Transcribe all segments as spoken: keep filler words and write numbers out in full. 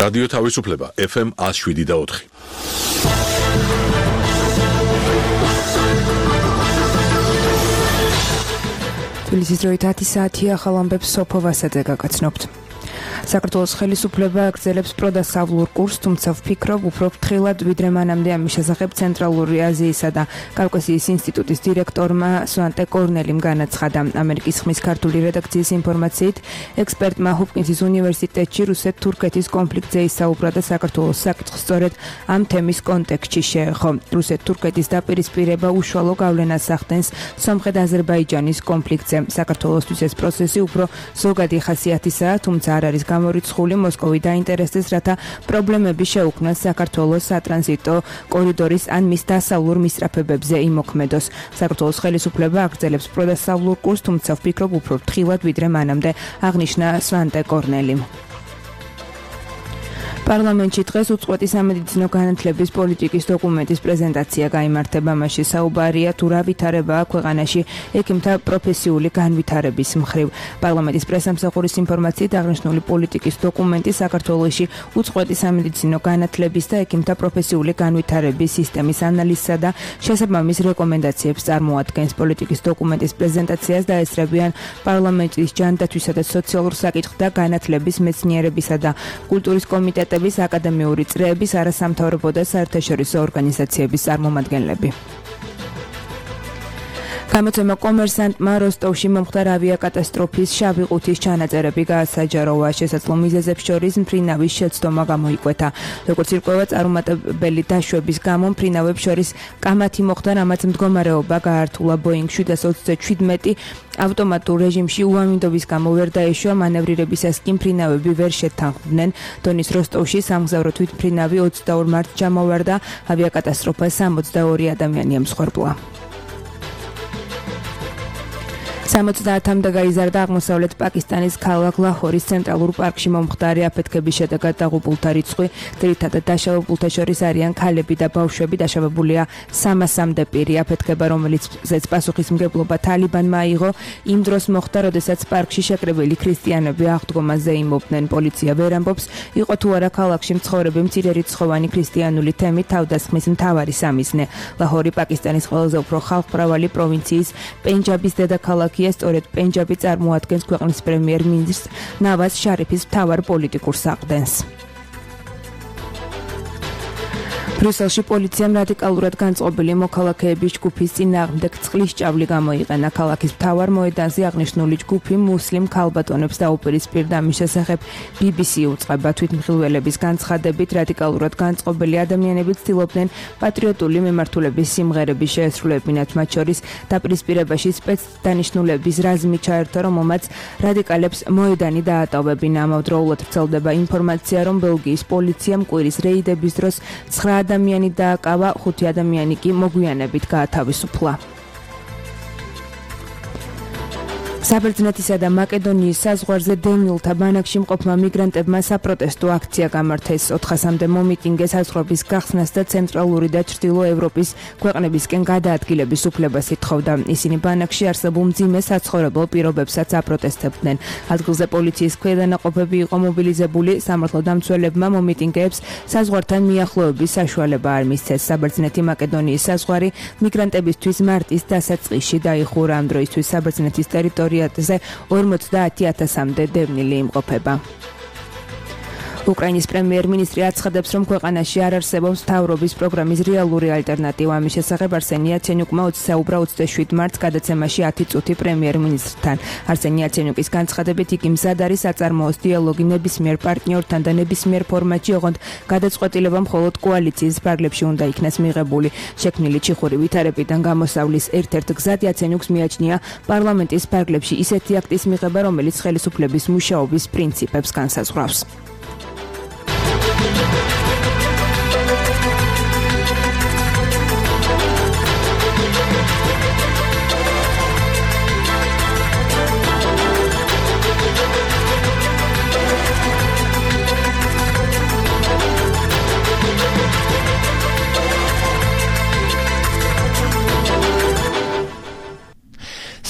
რადიო თავისუფლება ეფ ემ ათს შვიდი და ოთხი. თბილისის დროით ათი საათია, ახალ ამბებს სოფო ვასაძე გაგაცნობთ. საქართველოს ხელისუფლება აგრძელებს პროდასავლურ კურსს, თუმცა ვფიქრობ, უფრო ფრთხილად ვიდრე მანამდე ამის შესახებ ცენტრალური აზიისა და კავკასიის ინსტიტუტის დირექტორმა სვანტე კორნელიმ განაცხადა. ამერიკის ხმის ქართული რედაქციის ინფორმაციით, ექსპერტმა ჰოპკინსის უნივერსიტეტში რუსეთ-თურქეთის კონფლიქტზე ისაუბრა და საქართველოს საკითხს სწორედ ამ თემის კონტექსტში შეეხო. რუსეთ-თურქეთის დაპირისპირება უშუალო გავლენას ახდენს სომხეთ-აზერბაიჯანის კონფლიქტზე. საქართველოსთვის ეს პროცესი უფრო ზოგადი ხასიათისაა, თუმცა არ არის გამორიცხული. მოსკოვი დაინტერესდეს, რათა პრობლემები შეუქმნას საქართველოს სატრანზიტო კორიდორის ან მის დასავლურ მისწრაფებებზე იმოქმედოს. საქართველოს ხელისუფლება აგრძელებს პროდასავლურ კურსს, თუმცა ვფიქრობ, უფრო ფრთხილად ვიდრე მანამდე, აღნიშნა სვანტე კორნელიმ. პარლამენტში დღეს უწყვეტი სამედიცინო განათლების პოლიტიკის დოკუმენტის პრეზენტაცია გაიმართება. მასში საუბარია თუ რა ვითარებაა ქვეყანაში ექიმთა პროფესიული განვითარების მხრივ. პარლამენტის პრესამსახურის ინფორმაციით, აღნიშნული პოლიტიკის დოკუმენტი საქართველოში უწყვეტი სამედიცინო განათლების და ექიმთა პროფესიული განვითარების სისტემის ანალიზსა და შესაბამის რეკომენდაციებს წარმოადგენს. პოლიტიკის დოკუმენტის პრეზენტაციას დაესწრებიან პარლამენტის ჯანდაცვისა და სოციალურ საკითხთა განათლების მეცნიერებისა და კულტურის კომიტეტი, აკადემიური წრეების, არასამთავრობო და საერთაშორისო ორგანიზაციების წარმომადგენლები. გამოცემა კომერსანტმა როსტოვში მომხდარ ავიაკატასტროფის შავი ყუთის ჩანაწერები გაასაჯაროვა. შესაძლო მიზეზებს შორის მფრინავის შეცდომა გამოიკვეთა. როგორც ირკვევა, წარუმატებელი დაშვების გამო მფრინავებს შორის კამათი მოხდა, რამაც მდგომარეობა გაართულა. ბოინგ შვიდას ოცდაშვიდმეტი ავტომატურ რეჟიმში უამინდობის გამო ვერ დაეშვა, მანევრირებისას კი მფრინავები ვერ შეთანხმდნენ. დონის როსტოვში სამგზავრო თვითმფრინავი ოცდაორ მარტს ჩამოვარდა. ავიაკატასტროფას სამოცდაორი ადამიანი ემსხვერპლა. სამოცდაათამდე გაიზარდა აღმოსავლეთ პაკისტანის ქალაქ ლაჰორის ცენტრალურ პარკში მომხდარი აფეთქების შედეგად დაღუპულთა რიცხვი, ძირითადად დაშავებულთა შორის არიან ქალები და ბავშვები. დაშავებულია სამასამდე პირი. აფეთქება, რომელიც პასუხისმგებლობა თალიბანმა აიღო, იმ დროს მოხდა, როდესაც პარკში შეკრებილი ქრისტიანები აღდგომაზე იმობდნენ. პოლიცია ვერ ამბობს, იყო თუ არა ქალაქში მცხოვრები მცირერიცხოვანი ქრისტიანული თემი თავდასხმის მთავარი სამიზნე. ლაჰორი პაკისტანის ყველაზე უფრო ხალხმრავალი პროვინციის პენჯაბის დედაქალაქი. სწორედ პენჯაბი წარმოადგენს ქვეყნის პრემიერ-მინისტრ ნავაზ შარიფის მთავარ პოლიტიკურ საყრდენს. ბრიუსელში პოლიციამ რადიკალურად განწყობილი მოქალაქეების ჯგუფის წინააღმდეგ წყლის ჭავლი გამოიყენა. ქალაქის მთავარ მოედანზე აღნიშნული ჯგუფი მუსლიმ ქალბატონებს დაუპირისპირდა. ამის შესახებ ბი ბი სი უწყება. თვითმხილველების განცხადებით, რადიკალურად განწყობილი ადამიანები ცდილობდნენ პატრიოტული მიმართულების სიმღერების შეესრულებინათ. მათ შორის დაპირისპირებაში სპეცდანიშნულების რაზმი ჩაერთო, რომელმაც რადიკალებს მოედანი დაატოვებინა. ამავდროულად ვრცელდება ინფორმაცია, რომ ბელგიის პოლიციამ კვირის რეიდების დროს ცხრა ადამიანი დააკავა, ხუთი ადამიანი კი მოგვიანებით გაათავისუფლა. საბერძნეთისა და მაკედონიის საზღვარზე დევნილთა ბანაკში მყოფმა მიგრანტებმა საპროტესტო აქცია გამართეს. ოთხასამდე მომიტინგე საზღვრების გახსნას და ცენტრალური და ჩრდილო ევროპის ქვეყნებისკენ გადაადგილების უფლებას ითხოვდა. ისინი ბანაკში არსებულ მძიმე საცხოვრებელ პირობებსაც აპროტესტებდნენ. ადგილზე პოლიციის ქვედანაყოფები იყო მობილიზებული. სამართლოდამცველებმა მომიტინგეებს საზღვართან მიახლოების საშუალება არ მისცეს. საბერძნეთი მაკედონიის საზღვარი მიგრანტებისთვის მარტის დასაწყისში დაიხურა. ამ დროისთვის საბერძნეთის ტერიტორია ორმოცდაათი ათასამდე დევნილი იმყოფება. უკრაინის პრემიერ-მინისტრი აცხადებს, რომ ქვეყანაში არ არსებობს მთავრობის პროგრამის რეალური ალტერნატივა. ამის შესახებ არსენი იაცენიუკმა საუბრა ოცდაშვიდ მარტს გადაცემაში ათი წუთი პრემიერ-მინისტრთან. არსენი იაცენიუკის განცხადებით, იგი მზად არის აწარმოოს დიალოგი ნებისმიერ პარტნიორთან და ნებისმიერ ფორმატში, ოღონდ გადაწყვეტილება მხოლოდ კოალიციის ფარგლებში უნდა იქნას მიღებული. შექმნილი ჩიხური ვითარებიდან გამოსავლის ერთ-ერთ გზად იაცენიუკს მიაჩნია პარლამენტის ფარგლებში ისეთი აქტის მიღება, რომელიც ხელისუფლების მუშაობის პრინციპებს განსაზღვრავს.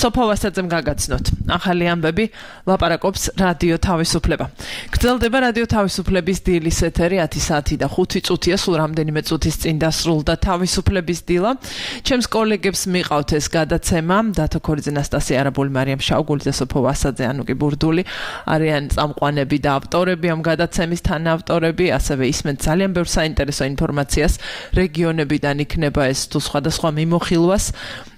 სოფო ვასაძემ გაგაცნოთ. ახალი ამბები ლაპარაკობს რადიო თავისუფლება. გრძელდება რადიო თავისუფლების დილის ეთერი ათი საათი და ხუთი წუთია, სულ რამდენიმე წუთის წინ დასრულდა თავისუფლების დილა. ჩემს კოლეგებს მიყავთ ეს გადაცემა, დათო ქორიძე, ნასტასია არაბული, მარიამ შაუგულიძე, სოფო ვასაძე, ანუკი ბურდული არიან წამყვანები და ავტორები ამ გადაცემის თანაავტორები, ასევე ისმენთ ძალიან ბევრ საინტერესო ინფორმაციას რეგიონებიდან იქნება ეს თუ სხვადასხვა მიმოხილვას.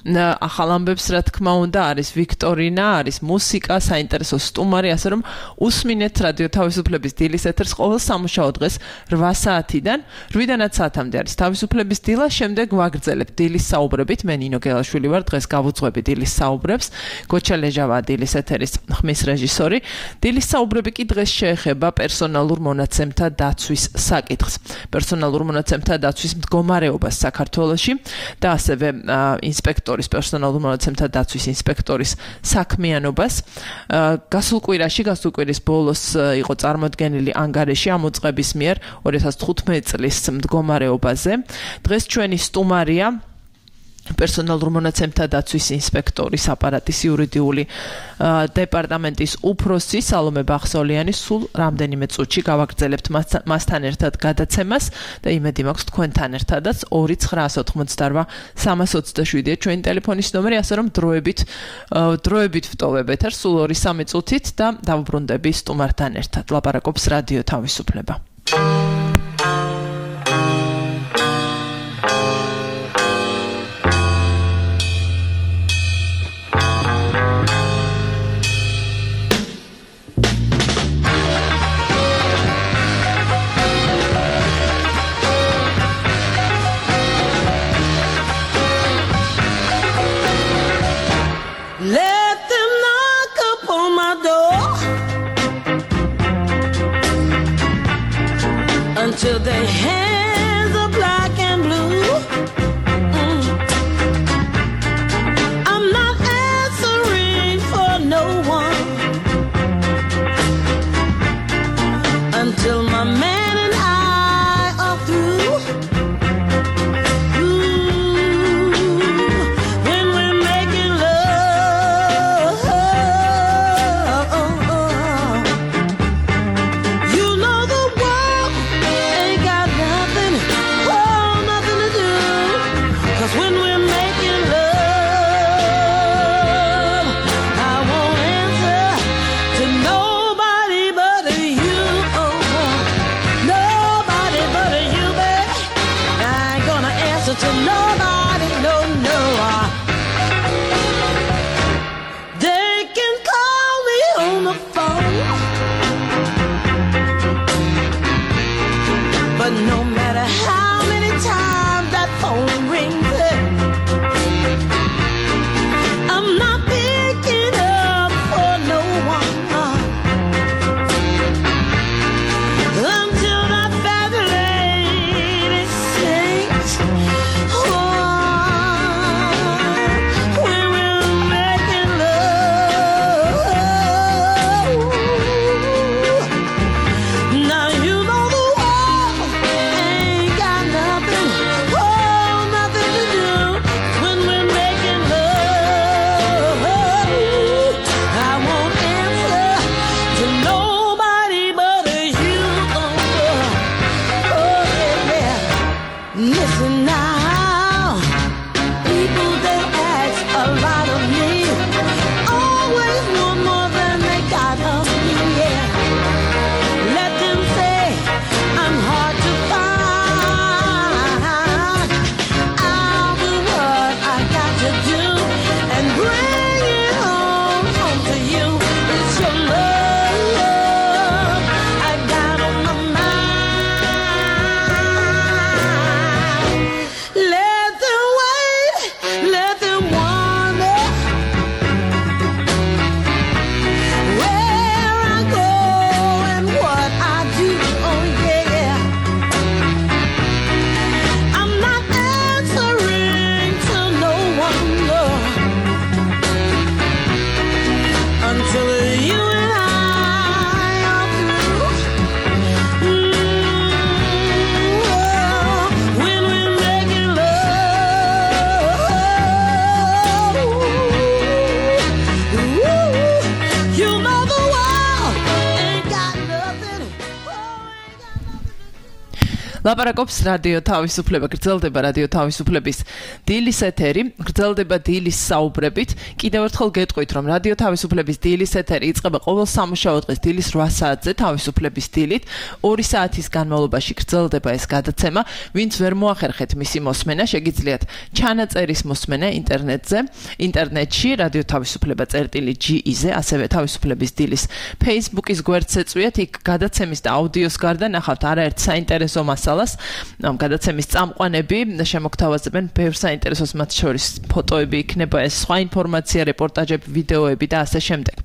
ახალ ამბებს რა თქმა უნდა არის ვიქტორინა, არის მუსიკა, საინტერესო სტუმარი, ასე რომ უსმინეთ რადიო თავისუფლების დილის ეთერს ყოველ სამუშაო დღეს რვა საათიდან რვიდანაც საათამდე არის თავისუფლების დილა, შემდეგ ვაგრძელებთ დილის საუბრებით. მე ნინო გელაშვილი ვარ, დღეს გავუძღვები დილის საუბრებს. გოჩა ლეჟავა დილის ეთერის ხმის რეჟისორი. დილის საუბრები კი დღეს შეეხება პერსონალურ მონაცემთა დაცვის საკითხს. პერსონალურ მონაცემთა დაცვის მდგომარეობას საქართველოში და ასევე ინსპექტორი პერსონალურ მონაცემთა დაცვის ინსპექტორის საქმიანობას. გასულ კვირაში, გასულ კვირის ბოლოს იყო წარმოდგენილი ანგარიში ამ უწყების მიერ ორი ათას თხუთმეტი წლის მდგომარეობაზე. დღეს ჩვენი სტუმარია პერსონალურ მონაცემთა დაცვის ინსპექტორის აპარატის იურიდიული დეპარტამენტის უფროსი სალომე ბახსოლიანი. სულ რამდენიმე წუთში გავაგრძელებთ მასთან ერთად გადაცემას და იმედი მაქვს თქვენთან ერთადაც. ორი ცხრაას ოთხმოცდარვა სამას ოცდაშვიდია ჩვენი ტელეფონის ნომერი, ასე რომ დროებით დროებით ვტოვებ ეთერს სულ ორი სამი წუთით და დავუბრუნდები სტუმართან ერთად. ლაპარაკობს რადიო თავისუფლება. Till their hands are black and blue. Mm. I'm not answering for no one until my man and I are through. Ooh, when we're making love, you know the world ain't got nothing ლაპარაკობს რადიო თავისუფლება, გრძელდება რადიო თავისუფლების დილის ეთერი, გრძელდება დილის საუბრებით. კიდევ ერთხელ გეტყვით, რომ რადიო თავისუფლების დილის ეთერი იწყება ყოველ სამუშაო დღეს დილის რვა საათზე თავისუფლების დილით. ორი საათის განმავლობაში გრძელდება ეს გადაცემა. ვინც ვერ მოახერხეთ მისი მოსმენა, შეგიძლიათ ჩანაწერის მოსმენა ინტერნეტზე, ინტერნეტში რადიო თავისუფლება წერტილი ჯი-ზე, ასევე თავისუფლების დილის Facebook-ის გვერდს ეწვიათ, იქ გადაცემის და აუდიოს გარდა ნახავთ არაერთ საინტერესო მასალას. ამ გადაცემის წამყვანები შემოგთავაზებენ ბევრ საინტერესოს, მათ შორის ფოტოები იქნება, ეს სხვა ინფორმაცია, რეპორტაჟები, ვიდეოები და ასე შემდეგ.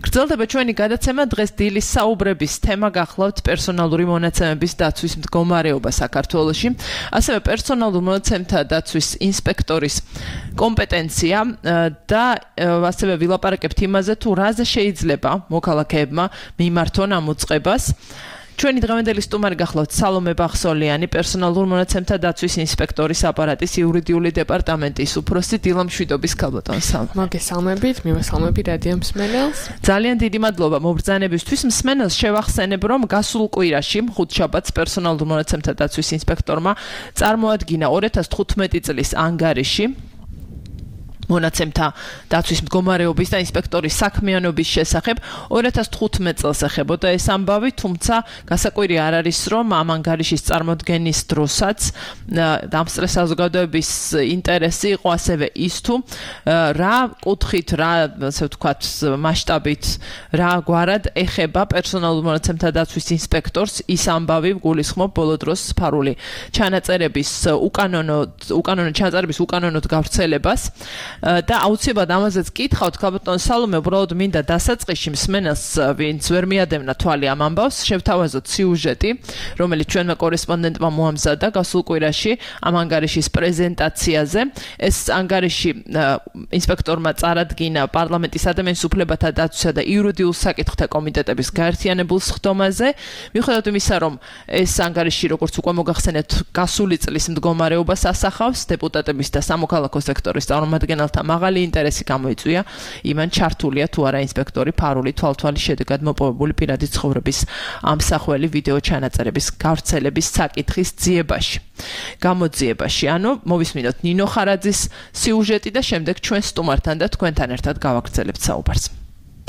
გრძელდება ჩვენი გადაცემა, დღეს დილის საუბრების თემა გახლავთ პერსონალური მონაცემების დაცვის მდგომარეობა საქართველოში, ასევე პერსონალურ მონაცემთა დაცვის ინსპექტორის კომპეტენცია და ასევე ვილაპარაკებთ იმაზე, თუ რაზე შეიძლება მოქალაქეებმა მიმართონ ამ უწყებას. ჩვენი დღევანდელი სტუმარი გახლავთ სალომე ბახსოლიანი, პერსონალურ მონაცემთა დაცვის ინსპექტორის აპარატის იურიდიული დეპარტამენტის უფროსი, დილამშვიდობის ქალბატონ სალომე. მოგესალმებით, მივესალმები რადიო მსმენელს. ძალიან დიდი მადლობა მობრძანებისთვის. მსმენელს შევახსენებ, რომ გასულ კვირაში, ხუთშაბათს, პერსონალურ მონაცემთა დაცვის ინსპექტორმა წარმოადგინა ორი ათას თხუთმეტი წლის ანგარიში მონაცემთა დაცვის მდგომარეობის და ინსპექტორის საქმიანობის შესახებ. ორი ათას თხუთმეტ წელს ეხებოდა ეს ამბავი, თუმცა გასაკვირი არ არის, რომ ამ ანგარიშის წარმოდგენის დროსაც დამსწრე საზოგადოების ინტერესი იყო ასევე ის, თუ რა კუთხით, რა ასე ვთქვათ, მასშტაბით, რა გვარად ეხება პერსონალურ მონაცემთა დაცვის ინსპექტორს ის ამბავი, გულისხმობ ბოლო დროს სფარული ჩანაწერების უკანონო უკანონო ჩანაწერების უკანონოდ გავრცელებას. და აუცილებლად ამაზეც კითხავთ, ქალბატონ სალომე, უბრალოდ მინდა დასაწყისში მსმენელს, ვინც ვერ მიადევნა თვალი ამ ამბავს, შევთავაზოთ სიუჟეტი, რომელიც ჩვენმა კორესპონდენტმა მოამზადა გასულ კვირაში ამ ანგარიშის პრეზენტაციაზე. ეს ანგარიში ინსპექტორმა წარადგინა პარლამენტის ადამიანის უფლებათა დაცვისა და იურიდიულ საკითხთა კომიტეტების გაერთიანებულ სხდომაზე. მიუხედავად იმისა, რომ ეს ანგარიში, როგორც უკვე მოგახსენეთ, გასული წლის მდგომარეობას ასახავს, დეპუტატების და სამოქალაქო სექტორის წარმომადგენელთა მაღალი ინტერესი გამოიწვია, იმან ჩართულია თუ არა ინსპექტორი ფარული თვალთვალის შედეგად მოპოვებული პირადი ცხოვრების ამსახველი ვიდეო ჩანაწერების გავრცელების საკითხის ძიებაში. გამოძიებაში. ანუ მოვისმინოთ ნინო ხარაძის სიუჟეტი და შემდეგ ჩვენ სტუმართან და თქვენთან ერთად გავაგრძელებთ საუბარს.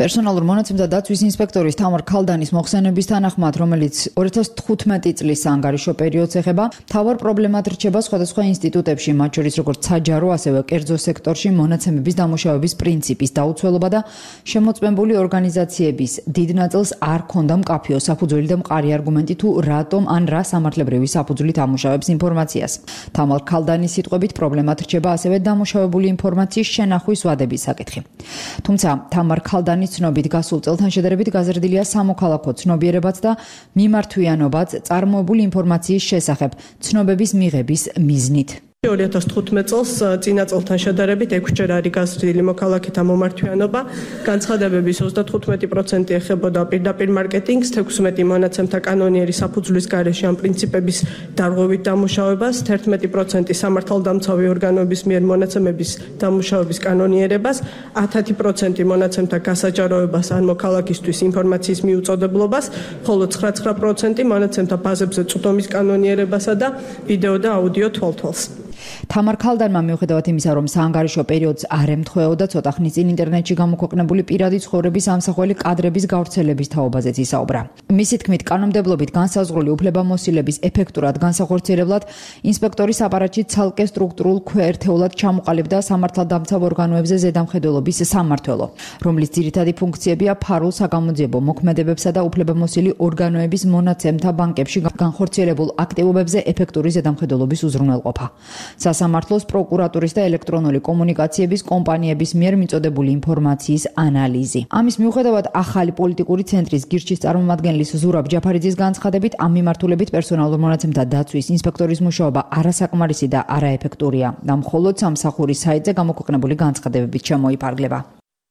პერსონალურ მონაცემთა დაცვის ინსპექტორის თამარ ქალდანის მოხსენების თანახმად, რომელიც ორი ათას თხუთმეტი წლის ანგარიშო პერიოდს ეხება, მთავარ პრობლემად რჩება სხვადასხვა ინსტიტუტებში, მათ შორის როგორც საჯარო, ასევე კერძო სექტორში მონაცემების დამუშავების პრინციპის დაუცველობა და შემოწმებული ორგანიზაციების დიდ ნაწილს არ ქონდა მკაფიო საფუძველი და მყარი არგუმენტი თუ რატომ ან რა სამართლებრივი საფუძვლით ამუშავებს ინფორმაციას. თამარ ქალდანის სიტყვებით პრობლემად რჩება ასევე დამუშავებული ინფორმაციის შენახვის ვადების საკითხი. თუმცა თამარ ქალდანის ცნობით გასულ წელთან შედარებით გაზრდილია სამოქალაქო ცნობიერებაც და მიმართვიანობაც წარმოებული ინფორმაციის შესახებ ცნობების მიღების მიზნით. ორი ათას თხუთმეტ წელს წინა წელთან შედარებით ექვსჯერ არის გაზრდილი მოქალაქეთა მომართვიანობა, განცხადებების ოცდათხუთმეტი პროცენტი ეხებოდა პირდაპირ მარკეტინგს, თექვსმეტი მონაცემთა კანონიერი საფუძვლის გარეშე ამ პრინციპების დარღვევით დამუშავებას, თერთმეტი პროცენტი სამართალდამცავი ორგანოების მიერ მონაცემების დამუშავების კანონიერებას, ათი პროცენტი მონაცემთა გასაჯაროებას ან მოქალაქისთვის ინფორმაციის მიუწოდებლობას, ხოლო ცხრა პროცენტი მონაცემთა ბაზებზე წვდომის კანონიერებასა და ვიდეო და აუდიო თვალთვალს. თამარ ქალდანმა მიუხედავად იმისა, რომ საანგარიშო პერიოდს არ ემთხვეოდა, ცოტა ხნის წინ ინტერნეტში გამოქვეყნებული პირადი ცხოვრების ამსახველი კადრების გავრცელების თაობაზეც ისაუბრა. მისი თქმით, კანონმდებლობით განსაზღვრული უფლებამოსილების ეფექტურად განსახორციელებლად ინსპექტორის აპარატში ცალკე სტრუქტურულ ქვეერთეულად ჩამოყალიბდა სამართალდამცავ ორგანოებზე ზედამხედველობის სამმართველო, რომლის ძირითადი ფუნქციებია ფარულ საგამოძიებო მოქმედებებსა და უფლებამოსილი ორგანოების მონაცემთა ბანკებში განხორციელებულ აქტივობებზე ეფექტური ზედამხედველობის უზრუნველყოფა. სასამართლოს, პროკურატურის და ელექტრონული კომუნიკაციების კომპანიების მიერ მიწოდებული ინფორმაციის ანალიზი. ამის მიუხედავად, ახალი პოლიტიკური ცენტრის გირჩის წარმომადგენლის ზურაბ ჯაფარიძის განცხადებით, ამ მიმართულებით პერსონალურ მონაცემთა დაცვის ინსპექტორის მუშაობა არასაკმარისი და არაეფექტურია და მხოლოდ სამსახურის საიტზე გამოქვეყნებული განცხადებებით შემოიფარგლება.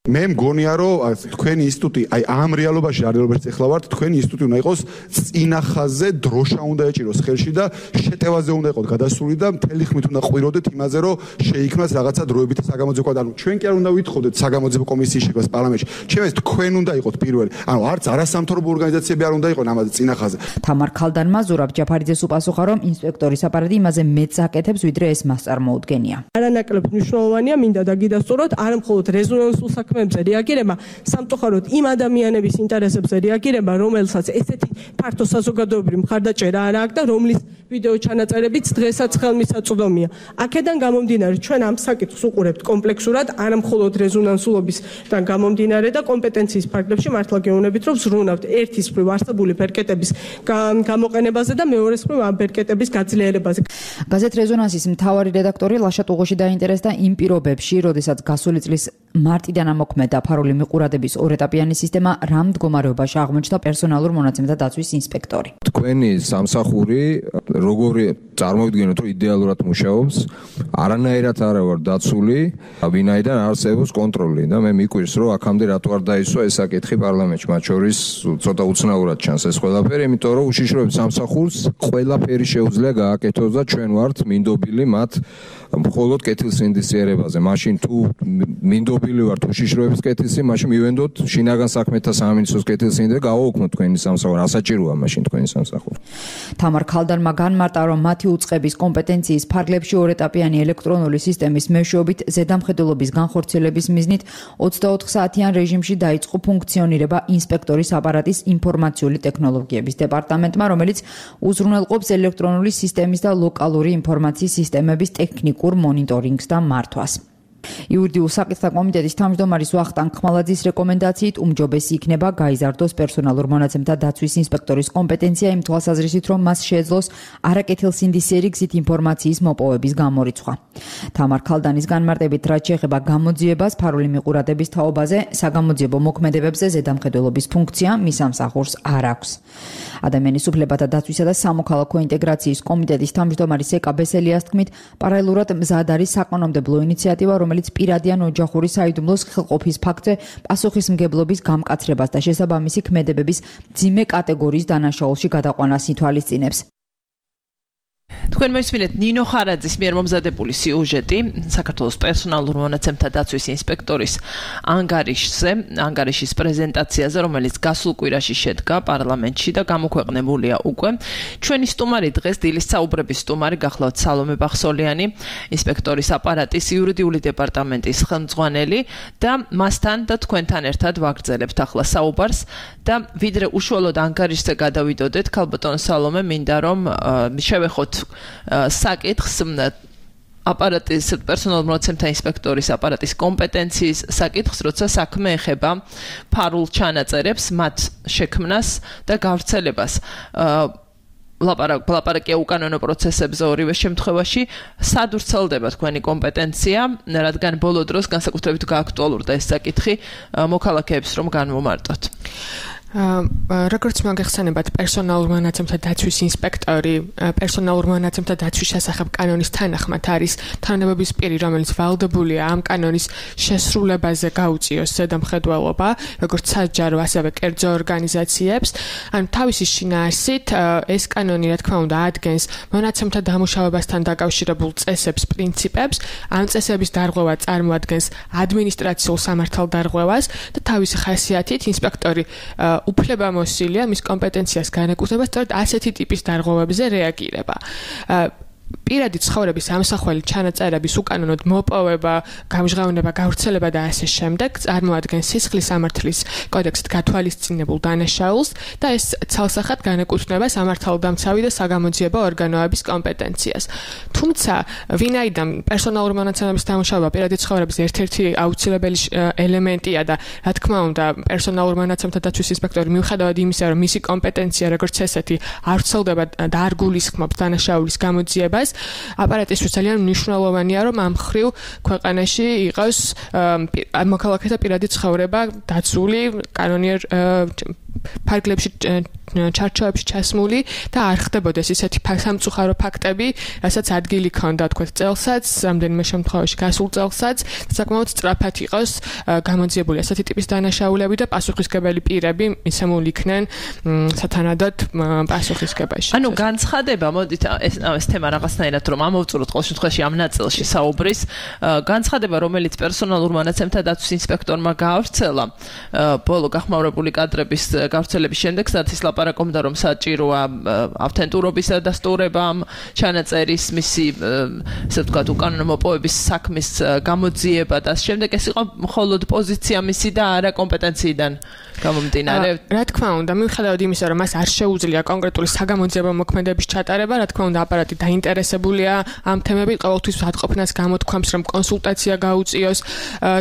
მე მგონია რომ თქვენი ინსტიტუტი აი ამ რეალობაში რეალობაში ეხლა ვართ თქვენი ინსტიტუტი უნდა იყოს წინახაზე დროშა უნდა ეჭიროს ხელში და შეტევაზე უნდა იყოს გადასული და მთელი ხმით უნდა ყვიროდეთ იმაზე რომ შეიქმნას რაღაცა დროებითი საგამოძიებო ანუ ჩვენ კი არ უნდა ვითხოვდეთ საგამოძიებო კომისიის შექმნას პარლამენტში ჩემს თქვენ უნდა იყოთ პირველი ანუ არც არასამთავრობო ორგანიზაციები არ უნდა იყონ ამაზე წინახაზე თამარ ქალდანმა ზურაბ ჯაფარიძეს უპასუხა რომ ინსპექტორის აპარატი იმაზე მეც აკეთებს ვიდრე ეს მას წარმოუდგენია არანაკლებ მნიშვნელოვანია მინდა დაგიდასტუროთ არა მხოლოდ რეზონანსულ საქმეებზე რეაგირება სამწუხაროდ იმ ადამიანების ინტერესებზე რეაგირება რომელსაც ესეთი ფართო საზოგადოებრივი მხარდაჭერა არ აქვს და რომლის ვიდეო ჩანაწერებიც დღესაც ხელმისაწვდომია აქედან გამომდინარე ჩვენ ამ საკითხს უყურებთ კომპლექსურად არა მხოლოდ რეზონანსულობისგან გამომდინარე და კომპეტენციის ფარგლებში მართლა გეუბნებით რომ ზრუნავთ ერთის მხრივ არსებული ბერკეტების გამოყენებაზე და მეორეს მხრივ ამ ბერკეტების გაძლიერებაზე გაზეთ რეზონანსის მთავარი რედაქტორი ლაშა ტუღუში დაინტერესდა იმ პირობებში როდესაც გასული წლის მარტიდან ამოქმედა ფარული მიყურადების ორეტაპიანი სისტემა რა მდგომარეობაში აღმოჩნდა პერსონალურ მონაცემთა დაცვის ინსპექტორი თქვენი სამსახური როგორი წარმოვიდგენოთ რომ იდეალურად მუშაობს არანაირად არა ვარ დაცული ვინაიდან არსებობს კონტროლი და მე მიკვირს რომ აქამდე რატო არ დაისვა ეს საკითხი პარლამენტში მათ შორის ცოტა უცნაურად ჩანს ეს ყველაფერი იმიტომ რომ უშიშროების სამსახურს ყველაფერი შეუძლია გააკეთოს და ჩვენ ვართ მინდობილი მათ მხოლოდ კეთილსინდისიერებაზე მაშინ თუ მინდობილი ვართ უშიშროების კეთილსი მაშინ მივენდოთ შინაგან საქმეთა სამინისტროს კეთილსინდისიერება გავაუქმოთ თქვენი სამსახური ასაჭიროა მაშინ თქვენი სამსახური თამარ ქალდანმა განმარტა რომ მათი უწყების კომპეტენციის ფარგლებში ორეტაპიანი ელექტრონული სისტემის მეშვეობით ზედამხედველობის განხორციელების მიზნით ოცდაოთხ საათიან რეჟიმში დაიწყო ფუნქციონირება ინსპექტორის აპარატის ინფორმაციული ტექნოლოგიების დეპარტამენტმა რომელიც უზრუნველყოფს ელექტრონული სისტემის და ლოკალური ინფორმაციის სისტემების ტექნიკურ მონიტორინგს და მართვას იურიდიულ საკითხთა კომიტეტის თავმჯდომარის ვახტანგ ხმალაძის რეკომენდაციით უმჯობესი იქნება გაიზარდოს პერსონალურ მონაცემთა დაცვის ინსპექტორის კომპეტენცია იმ თვალსაზრისით, რომ მას შეეძლოს არაკეთილსინდისიერი გზით ინფორმაციის მოპოვების გამორიცხვა. თამარ ქალდანის განმარტებით, რაც შეეხება გამოძიებას ფარული მიყურადების თაობაზე, საგამოძიებო მოქმედებებზე ზედამხედველობის ფუნქცია მის სამსახურს არ აქვს. ადამიანის უფლებათა დაცვისა და სამოქალაქო ინტეგრაციის კომიტეტის თავმჯდომარის ეკა ბესელიას თქმით, პარალელურად მზად არის საკანონმდებლო ინიციატივა, რომელიც პირადი ან ოჯახური საიდუმლოს ხელყოფის ფაქტზე პასუხისმგებლობის გამკაცრებას და შესაბამისი ქმედებების მძიმე კატეგორიის დანაშაულში გადაყვანას ითვალისწინებს. თქვენ მოისმინეთ ნინო ხარაძის მიერ მომზადებული სიუჟეტი საქართველოს პერსონალურ მონაცემთა დაცვის ინსპექტორის ანგარიშზე, ანგარიშის პრეზენტაციაზე, რომელიც გასულ კვირაში შედგა პარლამენტში და გამოქვეყნებულია უკვე. ჩვენი სტუმარი დღეს დილის საუბრების სტუმარი გახლავთ სალომე ბახსოლიანი, ინსპექტორის აპარატის იურიდიული დეპარტამენტის ხელმძღვანელი და მასთან და თქვენთან ერთად ვაგრძელებთ ახლა საუბარს და ვიდრე უშუალოდ ანგარიშზე გადავიდოდეთ, ქალბატონ სალომე, მინდა რომ შევეხოთ საკითხს აპარატის პერსონალურ მონაცემთა ინსპექტორის აპარატის კომპეტენციის საკითხს, როცა საქმე ეხება ფარულ ჩანაწერებს, მათ შექმნას და გავრცელებას. ლაპარაკია უკანონო პროცესებზე ორივე შემთხვევაში, სად ვრცელდება თქვენი კომპეტენცია, რადგან ბოლო დროს განსაკუთრებით გააქტუალურდა ეს საკითხი მოქალაქეებს რომ განვომარტოთ. როგორც მოგეხსენებათ, პერსონალურ მონაცემთა დაცვის ინსპექტორი პერსონალურ მონაცემთა დაცვის შესახებ კანონის თანახმად არის თანამდებობის პირი, რომელიც ვალდებულია ამ კანონის შესრულებაზე გაუწიოს ზედამხედველობა, როგორც საჯარო, ასევე კერძო ორგანიზაციებს. ანუ თავისი შინაარსით ეს კანონი, რა თქმა უნდა, ადგენს მონაცემთა დამუშავებასთან დაკავშირებულ წესებს, პრინციპებს. ამ წესების დარღვევა წარმოადგენს ადმინისტრაციულ სამართალდარღვევას და თავისი ხასიათით ინსპექტორი უფლებამოსილია მის კომპეტენციას განეკუთვნება სწორედ ასეთი ტიპის დარღვევებზე რეაგირება. პირადი ცხოვრების ამსახველი ჩანაწერების უკანონოდ მოპოვება, გამჟღავნება, გავრცელება და ასე შემდეგ წარმოადგენს სისხლის სამართლის კოდექსით გათვალისწინებულ დანაშაულს და ეს ცალსახად განეკუთვნება სამართალდამცავი და საგამოძიებო ორგანოების კომპეტენციას. თუმცა, ვინაიდან პერსონალური მონაცემების დამუშავება პირადი ცხოვრების ერთ-ერთი აუცილებელი ელემენტია და რა თქმა უნდა, პერსონალურ მონაცემთა დაცვის ინსპექტორი მიუხედავად იმისა, რომ მისი კომპეტენცია როგორც ესეთი არ ვრცელდება და არ გულისხმობს დანაშაულის გამოძიებას, აპარატისთვის ძალიან მნიშვნელოვანია, რომ ამ მხრივ ქვეყანაში იყოს მოქალაქეთა პირადი ცხოვრება დაცული კანონიერ ფარგლებში ჩარჩოებში ჩასმული და არ ხდებოდეს ისეთი სამწუხარო ფაქტები, რასაც ადგილი ქონდა თქვა წელსაც, რამდენიმე შემთხვევაში გასულ წელსაც, საკმაოდ სწრაფად იყოს გამოძიებული ასეთი ტიპის დანაშაულები და პასუხისმგებელი პირები მისამული იქნენ სათანადოდ პასუხისმგებაში. ანუ განცხადება, მოდით ეს ეს თემა რაღაცნაირად რომ ამოვწუროთ ყოველ შემთხვევაში ამ ნაწილში საუბრის, განცხადება, რომელიც პერსონალურ მონაცემთა დაცვის ინსპექტორმა გაავრცელა ბოლო გახმაურებული კადრების გავრცელების შემდეგ, სადაც ლაპარაკობდა რომ საჭიროა ავთენტურობის დასტურება ამ ჩანაწერის მისი ესე ვთქვათ უკანონო მოპოვების საქმის გამოძიება და შემდეგ ეს იყო მხოლოდ პოზიცია მისი და არა კომპეტენციიდან გამომდინარე. რა თქმა უნდა, მიუხედავად იმისა, რომ მას არ შეუძლია კონკრეტული საგამოძიებო მოქმედების ჩატარება, რა თქმა უნდა, აპარატი დაინტერესებულია ამ თემებით, ყოველთვის ვადყოფნას გამოთქვამს, რომ კონსულტაცია გაუწიოს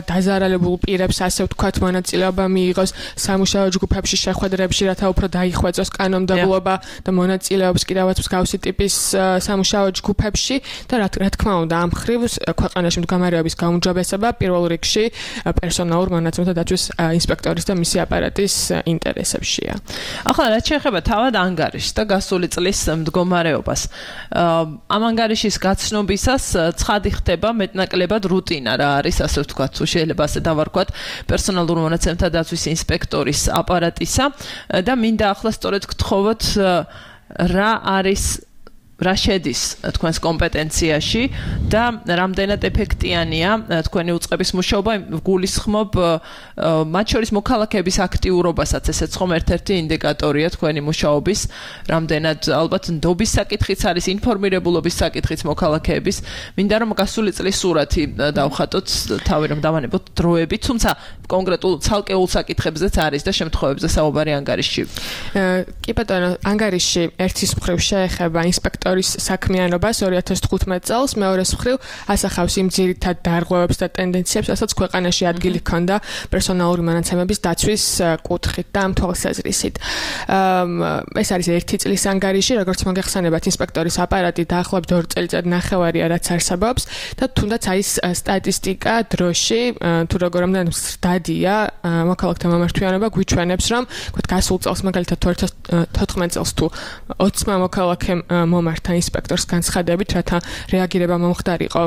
დაზარალებულ პირებს, ასე ვთქვათ, მონაწილეობა მიიღოს სამუშაო ჯგუფებში შეხვედრებში, რათა უფრო დაიხვეწოს კანონმდებლობა და მონაწილეობს კიდევაც მსგავსი ტიპის სამუშაო ჯგუფებში და რა თქმა უნდა, ამ ხრივ ქვეყანაში მდგომარეობის გაუმჯობესება პირველ რიგში პერსონალურ მონაცემთა დაცვის ინსპექტორის და მისი აპარატის ინტერესებშია. ახლა რაც შეეხება თავად ანგარიშს და გასული წლის მდგომარეობას, ამ ანგარიშის გაცნობისას ცხადი ხდება მეტნაკლებად რუტინა რა არის, ასე ვთქვათ, თუ შეიძლება ასე დავარქვათ, პერსონალურ მონაცემთა დაცვის ინსპექტორის აპარატისა და მინდა ახლა სწორედ გთხოვოთ რა არის რა შედის თქვენს კომპეტენციაში და რამდენად ეფექტიანია თქვენი უწყების მუშაობა, გულისხმობ მათ შორის მოქალაქეების აქტიურობასაც, ესეც ხომ ერთ-ერთი ინდიკატორია თქვენი მუშაობის, რამდენად ალბათ ნდობის საკითხიც არის, ინფორმირებულობის საკითხიც მოქალაქეების. მინდა რომ გასული წლის სურათი დავხატოთ, თავი რომ დავანებოთ დროებით, თუმცა კონკრეტულ ცალკეულ საკითხებზეც არის და შემთხვევებზე საუბარი ანგარიშში. კი ბატონო, ანგარიში ერთის მხრივ შეეხება ინსპექტორ საქმიანობას ორი ათას თხუთმეტ წელს, მეორეს მხრივ ასახავს იმ ძირითად დარღვევებს და ტენდენციებს, რასაც ქვეყანაში ადგილი ჰქონდა პერსონალური მონაცემების დაცვის კუთხით და ამ თვალსაზრისით. ეს არის ერთი წლის ანგარიში, როგორც მოგეხსენებათ, ინსპექტორის აპარატი დაახლოებით ორი წელიწად ნახევარია, რაც არსებობს და თუნდაც არის სტატისტიკა დროში, თუ როგორ ამდა სტადია მოქალაქეთა მომართვიანობა გვიჩვენებს, რომ თქვა გასულ წელს მაგალითად ორი ათას თოთხმეტ წელს თუ ოცმა მოქალაქე მომართ ინსპექტორს განცხადებით, რათა რეაგირება მომხდარიყო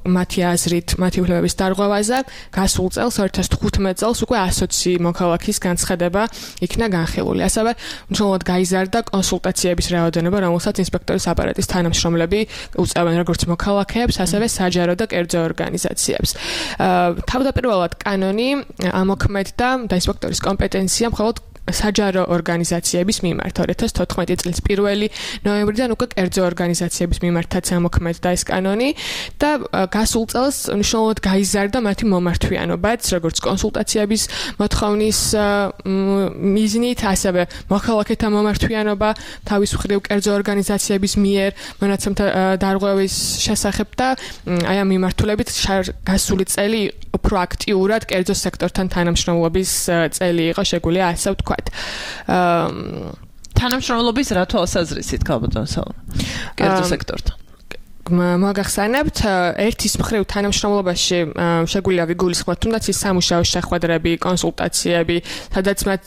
მათი აზრით, მათი უფლებების დარღვევაზე. გასულ წელს ორი ათას თხუთმეტ წელს უკვე ასოცი მოქალაქის განცხადება იქნა განხილული. ასევე მნიშვნელოვნად გაიზარდა კონსულტაციების რაოდენობა, რომელსაც ინსპექტორის აპარატის თანამშრომლები უწევენ როგორც მოქალაქეებს, ასევე საჯარო და კერძო ორგანიზაციებს. თავდაპირველად კანონი ამოქმედდა და ინსპექტორის კომპეტენცია მხოლოდ საჯარო ორგანიზაციების მიმართ ორი ათას თოთხმეტი წლის პირველი ნოემბრიდან უკვე კერძო ორგანიზაციების მიმართაც ამოქმედდა ეს კანონი და გასულ წელს მნიშვნელოვნად გაიზარდა მათი მომართვიანობაც, როგორც კონსულტაციების მოთხოვნის მიზნით, ასევე მოქალაქეთა მომართვიანობა თავის მხრივ კერძო ორგანიზაციების მიერ მონაცემთა დარღვევის შესახებ და აი ამ მიმართულებით გასული წელი უფრო აქტიურად კერძო სექტორთან თანამშრომლობის წელი იყო შეგვიძლია ასე ვთქვათ. თანამშრომლობის რა თვალსაზრისით ქალბატონსა? კერძო სექტორთან. მოგახსენებთ, ერთის მხრივ თანამშრომლობაში შეგვიძლია ვიგულისხმოთ თუნდაც ის სამუშაო შეხვედრები, კონსულტაციები, სადაც მათ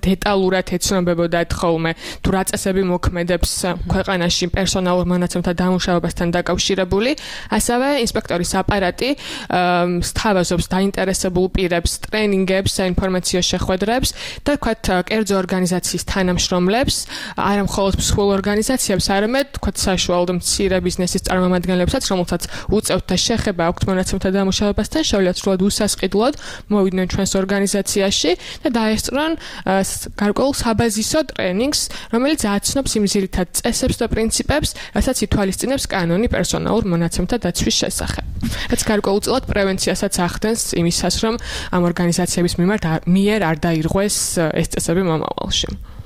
დეტალურად ეცნობებოდათ ხოლმე თუ რა წესები მოქმედებს ქვეყანაში პერსონალურ მონაცემთა დამუშავებასთან დაკავშირებული, ასევე ინსპექტორის აპარატი სთავაზობს დაინტერესებულ პირებს ტრენინგებს, საინფორმაციო შეხვედრებს და თქვათ კერძო ორგანიზაციის თანამშრომლებს, არა მხოლოდ მსხვილ ორგანიზაციებს, არამედ თქვათ საშუალო და მცირე ბიზნესის წარმომადგენლებს მათგანლებსაც, რომელთაც უწევთ და შეხება აქვთ მონაცემთა დამუშავებასთან, შეუძლიათ სრულად უსასყიდლოდ მოვიდნენ ჩვენს ორგანიზაციაში და დაესწრონ გარკვეულ საბაზისო ტრენინგს, რომელიც აცნობს იმ ძირითად წესებს და პრინციპებს, რასაც ითვალისწინებს კანონი პერსონალურ მონაცემთა დაცვის შესახებ. რაც გარკვეულწილად პრევენციასაც ახდენს იმისას, რომ ამ ორგანიზაციების მიმართ მიერ არ დაირღვეს ეს წესები მომავალში.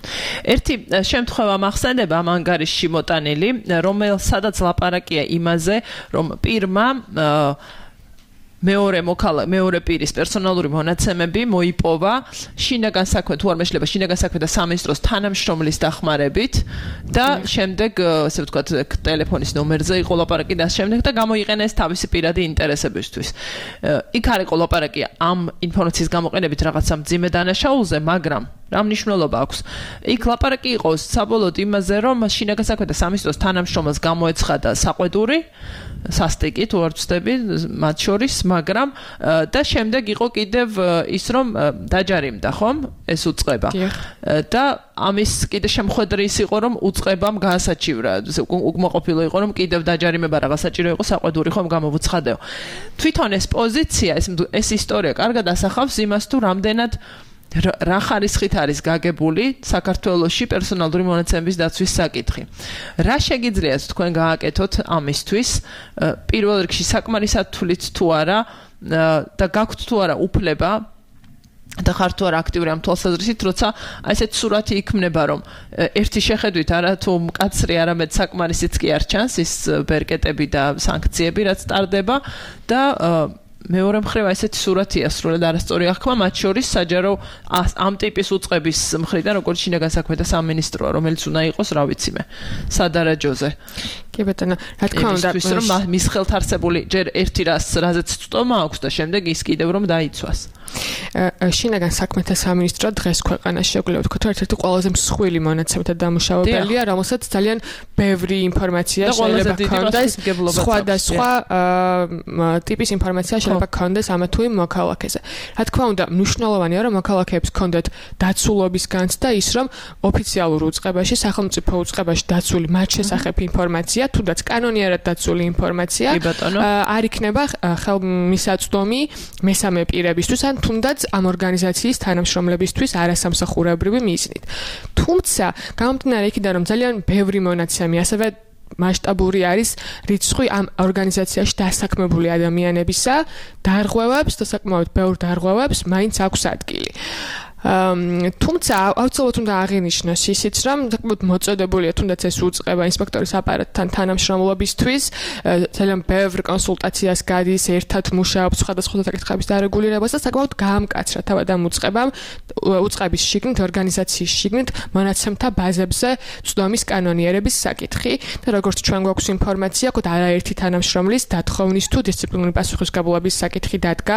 ერთი შემთხვევა მახსენდება ამ ანგარიშში მოტანილი, რომელსაც ლაპარაკია იმაზე, რომ პირმა მეორე მოქალა მეორე პირის პერსონალური მონაცემები მოიპოვა შინაგან საქმე თუ არ მეშლება შინაგან საქმე და სამინისტროს თანამშრომლის დახმარებით და შემდეგ ასე ვთქვათ ტელეფონის ნომერზე იყო ლაპარაკი და შემდეგ და გამოიყენეს თავისი პირადი ინტერესებისთვის. იქ არ იყო ლაპარაკი ამ ინფორმაციის გამოყენებით რაღაცა მძიმე დანაშაულზე, მაგრამ რა მნიშვნელობა აქვს. იქ ლაპარაკი იყო საბოლოოდ იმაზე, რომ შინაგან საქმეთა სამინისტროს თანამშრომელს გამოეცხადა საყვედური სასტიკი თუ არ ვცდები მათ შორის, მაგრამ და შემდეგ იყო კიდევ ის რომ დაჯარიმდა, ხომ? ეს უწყება. და ამის კიდე შემხედრი ის იყო, რომ უწყებამ გაასაჩივრა. უკმაყოფილო იყო, რომ კიდევ დაჯარიმება რაღაც საჭირო იყო საყვედური ხომ გამოვუცხადეო. თვითონ ეს პოზიცია, ეს ეს ისტორია კარგად ასახავს იმას, თუ რამდენად რა ხარისხით არის გაგებული საქართველოში პერსონალური მონაცემების დაცვის საკითხი. რა შეგიძლიათ თქვენ გააკეთოთ ამისთვის? პირველ რიგში საკმარისად თუ არა და გაქვთ თუ არა უფლება და ხართ თუ არა აქტიური ამ თვალსაზრისით, როცა ასეთ სურათი იქმნება, რომ ერთი შეხედვით არა თუ მკაცრი, არამედ საკმარისიც კი არ ჩანს ის ბერკეტები და სანქციები, რაც ტარდება და მეორე მხრივ ესეთი სურათია სრულად არასწორი აღქმა, მათ შორის საჯარო ამ ტიპის უწყების მხრიდან, როგორც შინაგან საქმეთა სამინისტროა, რომელიც უნდა იყოს, რა ვიცი მე, სადარაჯოზე. კი ბატონო, რა თქმა უნდა, რომ მის ხელთ არსებული ჯერ ერთი რას, რაზეც წტომა აქვს და შემდეგ ის კიდევ რომ დაიცვას. შინაგან საქმეთა სამინისტრო დღეს ქვეყანაში შეგვიძლია ვთქვათ, რომ ერთ-ერთი ყველაზე მსხვილი მონაცემთა დამუშავებელია, რომელსაც ძალიან ბევრი ინფორმაცია შეიძლება ჰქონდეს, სხვადასხვა ტიპის ინფორმაცია შეიძლება ჰქონდეს ამა თუ იმ მოქალაქეზე. რა თქმა უნდა, მნიშვნელოვანია, რომ მოქალაქეებს ჰქონდეთ დაცულობის განცდა ის, რომ ოფიციალურ უწყებაში, სახელმწიფო უწყებაში დაცული მათ შესახებ ინფორმაცია, თუნდაც კანონიერად დაცული ინფორმაცია არ იქნება ხელმისაწვდომი მესამე პირებისთვის ან თუნდაც ამ ორგანიზაციის თანამშრომლებისთვის არასამსახურებრივი მიზნით. თუმცა, გამომდინარე იქიდან, რომ ძალიან ბევრი მონაცემი, ასევე მასშტაბური არის რიცხვი ამ ორგანიზაციაში დასაქმებული ადამიანებისა, დარღვევებს და საკმაოდ ბევრ დარღვევებს მაინც აქვს ადგილი. თუმცა აუცილებლად უნდა აღინიშნოს ისიც, რომ საკმაოდ მოწოდებულია თუნდაც ეს უწყება ინსპექტორის აპარატთან თანამშრომლობისთვის, ძალიან ბევრ კონსულტაციას გადის, ერთად მუშაობს სხვადასხვა საკითხების დარეგულირებას და საკმაოდ გაამკაცრა თავად ამ უწყებამ უწყების შიგნით, ორგანიზაციის შიგნით მონაცემთა ბაზებზე წვდომის კანონიერების საკითხი და როგორც ჩვენ გვაქვს ინფორმაცია, ყოთ არაერთი თანამშრომლის დათხოვნის თუ დისციპლინური პასუხისმგებლობის საკითხი დადგა,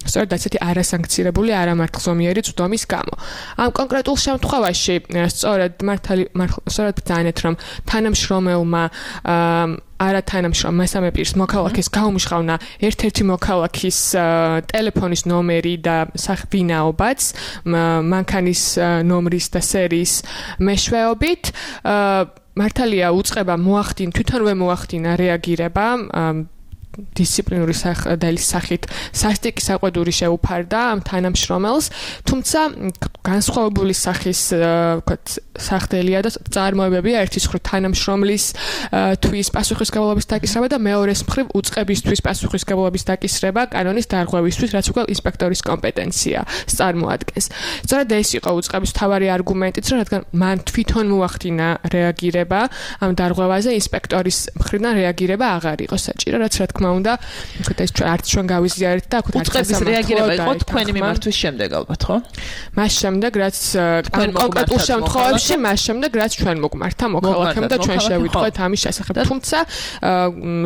სწორედ ასეთი არასანქცირებული, არამართლზომიერი წვდომის გამო. ამ კონკრეტულ შემთხვევაში სწორედ მართალი სწორედ ბრძანეთ, რომ თანამშრომელმა არა თანამშრომ მესამე პირს მოქალაქეს გაუმჟღავნა ერთ-ერთი მოქალაქის ტელეფონის ნომერი და ვინაობაც მანქანის ნომრის და სერიის მეშვეობით. მართალია უწყება მოახდინა, თვითონვე მოახდინა რეაგირება დისციპლინური სახელის სახით სასტიკი საყვედური შეუფარდა ამ თანამშრომელს, თუმცა განსხვავებული სახის ვთქვათ სახდელია და წარმოებებია ერთის მხრივ თანამშრომლის თვის პასუხისმგებლობის დაკისრება და მეორეს მხრივ უწყებისთვის პასუხისმგებლობის დაკისრება კანონის დარღვევისთვის, რაც უკვე ინსპექტორის კომპეტენცია წარმოადგენს. სწორედ ეს იყო უწყების მთავარი არგუმენტიც, რომ რადგან მან თვითონ მოახდინა რეაგირება ამ დარღვევაზე, ინსპექტორის მხრიდან რეაგირება აღარ იყო საჭირო, რაც რა თქმა უნდა, ვთქვათ ეს არც ჩვენ გავიზიარეთ და ვთქვათ უწყების რეაგირება იყო თქვენი მიმართვის შემდეგ ალბათ, ხო? მას შემდეგ, რაც კონკრეტულ შემთხვევებში, მას შემდეგ, რაც ჩვენ მოგმართა მოქალაქემ და ჩვენ შევიტყვეთ ამის შესახებ. თუმცა,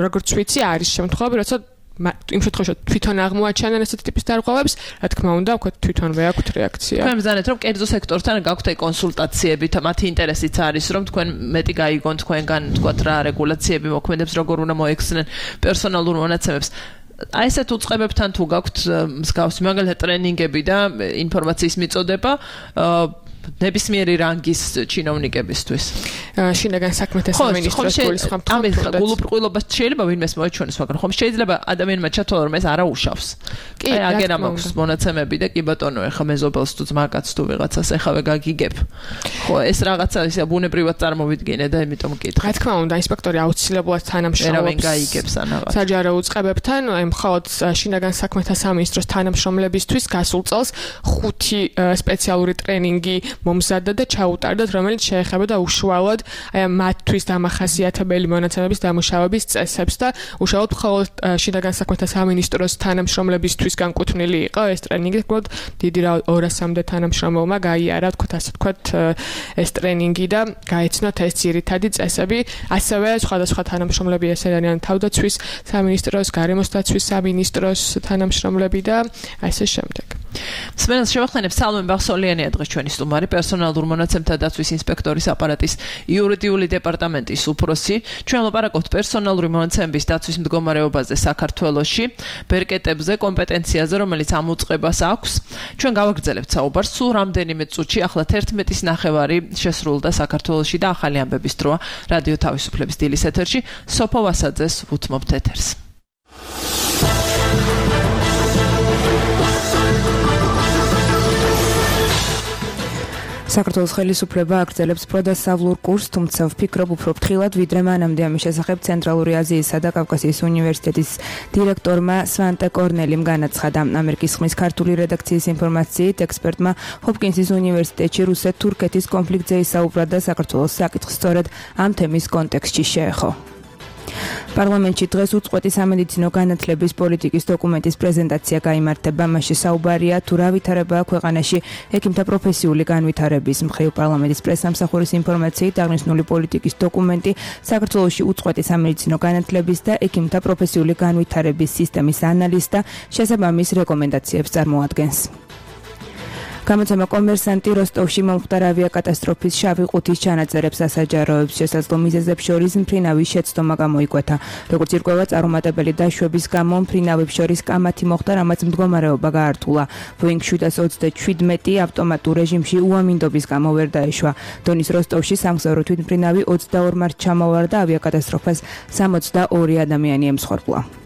როგორც ვიცი, არის შემთხვევები, როცა იმ შემთხვევაში თვითონ აღმოაჩენენ ესეთი ტიპის დარღვევებს, რა თქმა უნდა, ვთქვათ თვითონვე აქვთ რეაქცია. თქვენ ბრძანეთ, რომ კერძო სექტორთან გაქვთ კონსულტაციები, მათი ინტერესიც არის, რომ თქვენ მეტი გაიგონ თქვენგან, ვთქვათ რა რეგულაციები მოქმედებს, როგორ უნდა მოეხსნენ პერსონალურ მონაცემებს. აი ესეთ უწყებებთან თუ გაქვთ მსგავსი მაგალითად ტრენინგები და ინფორმაციის მიწოდება ნებისმიერი რანგის ჩინოვნიკებისთვის. შინაგან საქმეთა სამინისტროს გულისხმობთ, ამ გულუბრყვილობას შეიძლება ვინმეს მოეჩვენოს, მაგრამ ხომ შეიძლება ადამიანმა ჩათვალა, რომ ეს არა უშავს. კი, აგერა მაქვს მონაცემები და კი ბატონო, ეხა მეზობელს თუ ძმაკაც თუ ვიღაცას ეხავე გაგიგებ. ხო, ეს რაღაცა ისე ბუნებრივად წარმოვიდგინე და იმიტომ მკითხე. რა თქმა უნდა, ინსპექტორი აუცილებლად თანამშრომლობს გაიგებს ანაღა. საჯარო უწყებებთან, აი მხოლოდ შინაგან საქმეთა სამინისტროს თანამშრომლებისთვის გასულ წელს ხუთი სპეციალური ტრენინგი მომზადდა და ჩაუტარდათ, რომელიც შეეხებოდა უშუალოდ აი მათთვის დამახასიათებელი მონაცემების დამუშავების წესებს და უშუალოდ მხოლოდ შინაგან საქმეთა სამინისტროს თანამშრომლებისთვის განკუთვნილი იყო ეს ტრენინგი, თქო, დიდი ორასამდე თანამშრომელმა გაიარა, თქო, ასე თქო, ეს ტრენინგი და გაეცნოთ ეს ძირითადი წესები, ასევე სხვადასხვა თანამშრომლები ეს არიან თავდაცვის სამინისტროს, გარემოს დაცვის სამინისტროს თანამშრომლები და ასე შემდეგ. სმენელს შევახსენებ სალომე ბახსოლიანია დღეს ჩვენი სტუმარი პერსონალურ მონაცემთა დაცვის ინსპექტორის აპარატის იურიდიული დეპარტამენტის უფროსი. ჩვენ ლაპარაკობთ პერსონალური მონაცემების დაცვის მდგომარეობაზე საქართველოში, ბერკეტებზე, კომპეტენციაზე, რომელიც ამ უწყებას აქვს. ჩვენ გავაგრძელებთ საუბარს სულ რამდენიმე წუთში, ახლა თერთმეტის ნახევარი შესრულდა საქართველოში და ახალი ამბების დროა რადიო თავისუფლების დილის ეთერში. სოფო ვასაძეს უთმობთ ეთერს. საქართველოს ხელისუფლება აგრძელებს პროდასავლურ კურსს, თუმცა ვფიქრობ უფრო ფრთხილად, ვიდრე მანამდე ამის შესახებ ცენტრალური აზიისა და კავკასიის უნივერსიტეტის დირექტორმა სვანტე კორნელიმ განაცხადა. ამერიკის ხმის ქართული რედაქციის ინფორმაციით, ექსპერტმა ჰოპკინსის უნივერსიტეტში რუსეთ-თურქეთის კონფლიქტზე ისაუბრა და საქართველოს საკითხს სწორედ ამ თემის კონტექსტში შეეხო. პარლამენტში დღეს უწყვეტი სამედიცინო განათლების პოლიტიკის დოკუმენტის პრეზენტაცია გაიმართება. მასში საუბარია თუ რა ვითარებაა ქვეყანაში ექიმთა პროფესიული განვითარების მხრივ. პარლამენტის პრესსამსახურის ინფორმაციით, აღნიშნული პოლიტიკის დოკუმენტი საქართველოში უწყვეტი სამედიცინო განათლების და ექიმთა პროფესიული განვითარების სისტემის ანალიზს და შესაბამის რეკომენდაციებს წარმოადგენს. გამოცემა კომერსანტი როსტოვში მომხდარ ავიაკატასტროფის შავი ყუთის ჩანაწერებს ასაჯაროებს. შესაძლო მიზეზებს შორის მფრინავის შეცდომა გამოიკვეთა. როგორც ირკვევა, წარუმატებელი დაშვების გამო მფრინავებს შორის კამათი მოხდა, რამაც მდგომარეობა გაართულა. ბოინგ შვიდას ოცდაშვიდმეტი ავტომატურ რეჟიმში უამინდობის გამო ვერ დაეშვა. დონის როსტოვში სამგზავრო თვითმფრინავი ოცდაორ მარტს ჩამოვარდა და ავიაკატასტროფას სამოცდაორი ადამიანი ემსხვერპლა.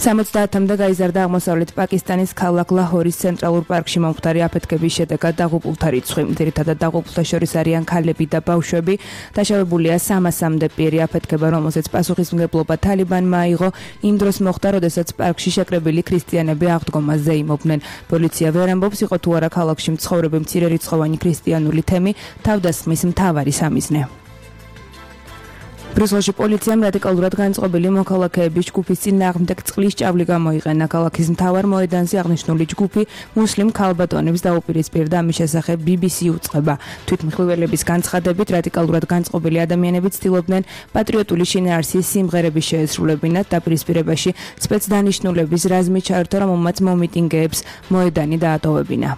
სამოცდაათამდე გაიზარდა აღმოსავლეთ პაკისტანის ქალაქ ლაჰორის ცენტრალურ პარკში მომხდარი აფეთქების შედეგად დაღუპულთა რიცხვი. ძირითადად დაღუპულთა შორის არიან ქალები და ბავშვები. დაშავებულია სამასამდე პირი. აფეთქება, რომელზეც პასუხისმგებლობა თალიბანმა აიღო, იმ დროს მოხდა, როდესაც პარკში შეკრებილი ქრისტიანები აღდგომაზე იმობდნენ. პოლიცია ვერ ამბობს, იყო თუ არა ქალაქში მცხოვრები მცირერიცხოვანი ქრისტიანული თემი თავდასხმის მთავარი სამიზნე. ბრიუსელში პოლიციამ რადიკალურად განწყობილი მოქალაქეების ჯგუფის წინააღმდეგ წყლის ჭავლი გამოიყენა. ქალაქის მთავარ მოედანზე აღნიშნული ჯგუფი მუსლიმ ქალბატონებს დაუპირისპირდა. ამის შესახებ ბი ბი სი უწყება. თვითმხილველების განცხადებით, რადიკალურად განწყობილი ადამიანები ცდილობდნენ პატრიოტული შინაარსის სიმღერების შეესრულებინათ. დაპირისპირებაში სპეცდანიშნულების რაზმი ჩაერთო, რომელმაც მომიტინგეებს მოედანი დაატოვებინა.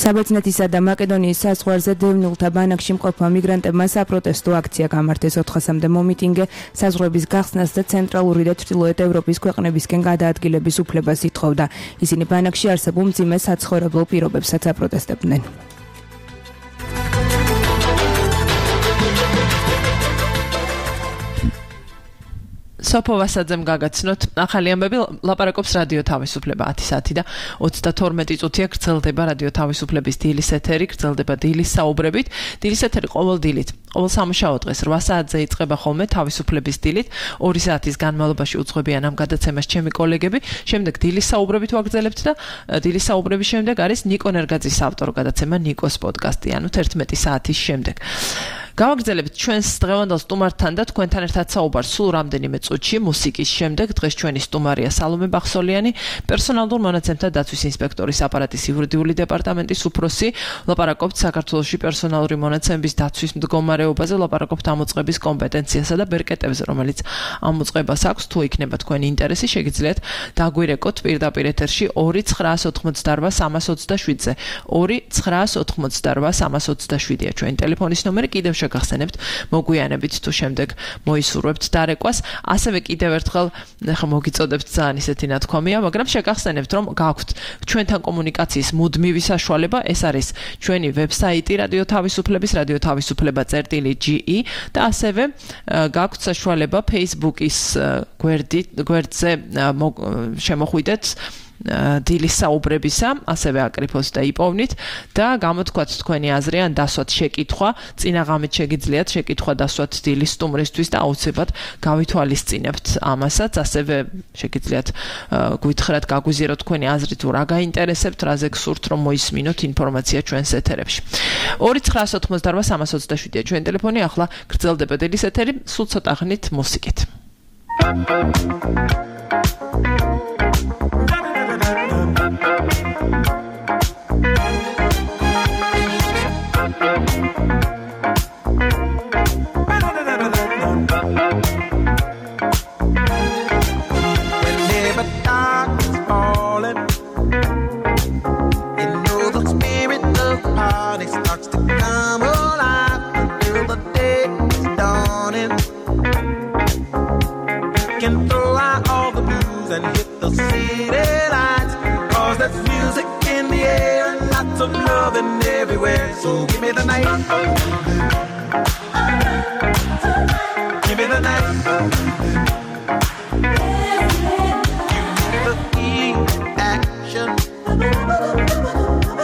საბერძნეთისა და მაკედონიის საზღვარზე დევნილთა ბანაკში მყოფმა მიგრანტებმა საპროტესტო აქცია გამართეს. ოთხასამდე მომიტინგე საზღვრების გახსნას და ცენტრალური და ჩრდილოეთ ევროპის ქვეყნებისკენ გადაადგილების უფლებას ითხოვდა. ისინი ბანაკში არსებულ მძიმე საცხოვრებლო პირობებსაც აპროტესტებდნენ. სოფო ვასაძემ გაგაცნოთ ახალი ამბები. ლაპარაკობს რადიო თავისუფლება ათი საათი და ოცდათორმეტი წუთია გრძელდება რადიო თავისუფლების დილის ეთერი, გრძელდება დილის საუბრებით. დილის ეთერი ყოველ დილით, ყოველ სამუშაო დღეს რვა საათზე იწყება ხოლმე თავისუფლების დილით. ორი საათის განმავლობაში უძღვებიან ამ გადაცემას ჩემი კოლეგები. შემდეგ დილის საუბრებით ვაგრძელებთ და დილის საუბრების შემდეგ არის ნიკო ნერგაძის ავტორ გადაცემა ნიკოს პოდკასტი, ანუ თერთმეტი საათის შემდეგ. გავაგრძელებთ ჩვენს დღევანდელ სტუმართან და თქვენთან ერთად საუბარს სულ რამდენიმე წუთში მუსიკის შემდეგ. დღეს ჩვენი სტუმარია სალომე ბახსოლიანი, პერსონალურ მონაცემთა დაცვის ინსპექტორის აპარატის იურიდიული დეპარტამენტის უფროსი. ლაპარაკობთ საქართველოში პერსონალური მონაცემების დაცვის მდგომარეობაზე, ლაპარაკობთ ამ უწყების კომპეტენციასა და ბერკეტებზე, რომელიც ამ უწყებას აქვს. თუ იქნება თქვენი ინტერესი, შეგიძლიათ დაგვირეკოთ პირდაპირ ეთერში ორი ცხრაას ოთხმოცდარვა სამას ოცდაშვიდზე. ორი ცხრაას ოთხმოცდარვა სამას ოცდაშვიდია ჩვენი ტელეფონის ნომერი. კიდევ შეგახსენებთ, მოგვიანებით თუ შემდეგ მოისურვებთ დარეკვას. ასევე კიდევ ერთხელ ახლა მოგიწოდებთ ძალიან ისეთი ნათქვამია, მაგრამ შეგახსენებთ, რომ გაქვთ ჩვენთან კომუნიკაციის მუდმივი საშუალება. ეს არის ჩვენი ვებსაიტი რადიო თავისუფლების რადიო თავისუფლება წერტილი ჯი ი და ასევე გაქვთ საშუალება Facebook-ის გვერდით გვერდზე შემოხვიდეთ დილის საუბრებისა, ასევე აკრიფოს და იპოვნით და გამოთქვათ თქვენი აზრი ან დასვათ შეკითხვა, წინაღამით შეგიძლიათ შეკითხვა დასვათ დილის სტუმრისთვის და აუცილებლად გავითვალისწინებთ ამასაც. ასევე შეგიძლიათ გვითხრათ, გაგვიზიაროთ თქვენი აზრი თუ რა გაინტერესებთ, რაზე გსურთ რომ მოისმინოთ ინფორმაცია ჩვენს ეთერებში. ორი ცხრაას ოთხმოცდარვა სამას ოცდაშვიდია ჩვენი ტელეფონი. ახლა გრძელდება დილის ეთერი, სულ ცოტა ხნით მუსიკით. Whenever darkness falls and hit the city lights. Cause there's music in the air and lots of loving everywhere. So give me the night. Give me the night.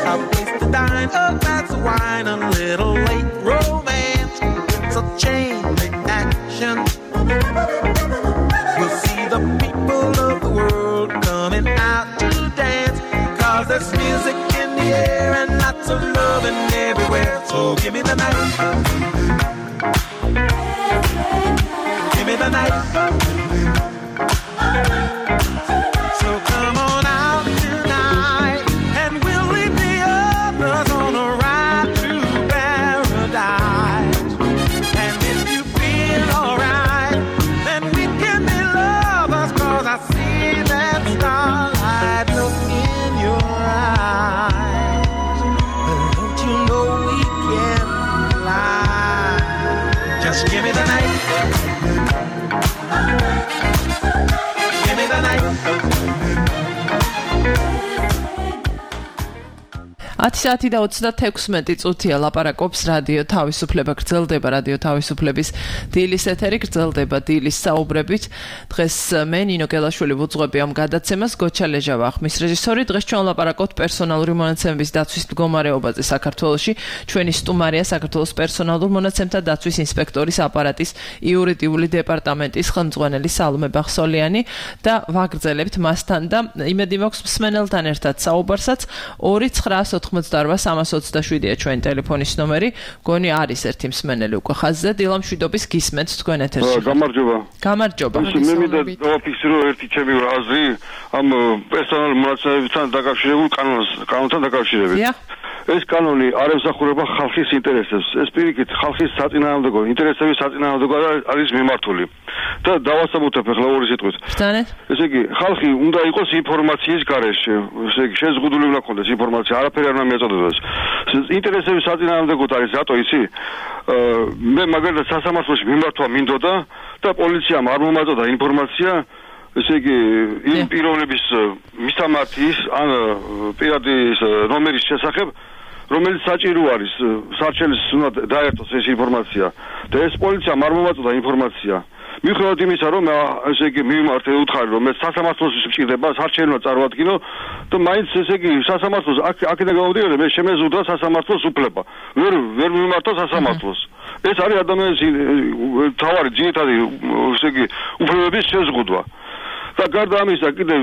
A place to dine, a glass of wine, a little late romance. It's a chain reaction. We'll see the people of the world coming out to dance. Cause there's music in the air and lots of loving everywhere. So give me the night. Give me the night. So come on out tonight, and we'll leave the others on a ride to paradise. And if you feel alright, then we can be lovers. Cause I see that starlight look in your eyes. But don't you know we can fly? Just give me the night. Give me the night. ათი საათი და ოცდათექვსმეტი წუთია ლაპარაკობს რადიო თავისუფლება, გრძელდება რადიო თავისუფლების დილის ეთერი, გრძელდება დილის საუბრებით. დღეს მე ნინო გელაშვილი ვუძღვები ამ გადაცემას, გოჩა ლეჟავა ხმის რეჟისორი. დღეს ჩვენ ლაპარაკობთ პერსონალური მონაცემების დაცვის მდგომარეობაზე საქართველოში. ჩვენი სტუმარია საქართველოს პერსონალურ მონაცემთა დაცვის ინსპექტორის აპარატის იურიდიული დეპარტამენტის ხელმძღვანელი სალომე ბახსოლიანი და ვაგრძელებთ მასთან და იმედი მაქვს მსმენელთან ერთად საუბარსაც. ორი ცხრაას ოთხმოცდაორვა სამას ოცდაშვიდია ჩვენი ტელეფონის ნომერი. გონი არის ერთი მსმენელი უკვე ხაზზე. დილა მშვიდობის გისმენთ თქვენ ეთერში. გამარჯობა. გამარჯობა. მე მინდა დავაფიქსირო ერთი ჩემი აზრი ამ პერსონალურ მონაცემებთან დაკავშირებულ კანონს, კანონთან დაკავშირებით. ეს კანონი არ ემსახურება ხალხის ინტერესებს. ეს პირიქით ხალხის საწინააღმდეგო ინტერესების საწინააღმდეგო არის მიმართული. და დავასაბუთებ ახლა ორი სიტყვით. ბრძანეთ. ესე იგი, ხალხი უნდა იყოს ინფორმაციის გარეშე. ესე იგი, შეზღუდული უნდა ქონდეს ინფორმაცია, არაფერი არ უნდა მიაწოდებდეს. ინტერესების საწინააღმდეგოდ არის რატო იცი? მე მაგალითად სასამართლოში მიმართვა მინდოდა და პოლიციამ არ მომაწოდა ინფორმაცია. ესე იგი, იმ პიროვნების მისამართის ან პირადის ნომერის შესახებ, რომელიც საჭირო არის სარჩელის უნდა დაერთოს ეს ინფორმაცია და ეს პოლიციამ არ მომაწოდა ინფორმაცია. მიუხედავად იმისა, რომ ესე იგი მიმართე უთხარი, რომ ეს სასამართლოს მჭირდება, სარჩენო წარმოადგინო და მაინც ესე იგი სასამართლოს აქედან გამომდინარე, მე შემეზუდა სასამართლოს უფლება. ვერ ვერ მიმართა სასამართლოს. ეს არის ადამიანის თავარი ძირითადი ესე იგი უფლებების შეზღუდვა. და გარდა ამისა, კიდევ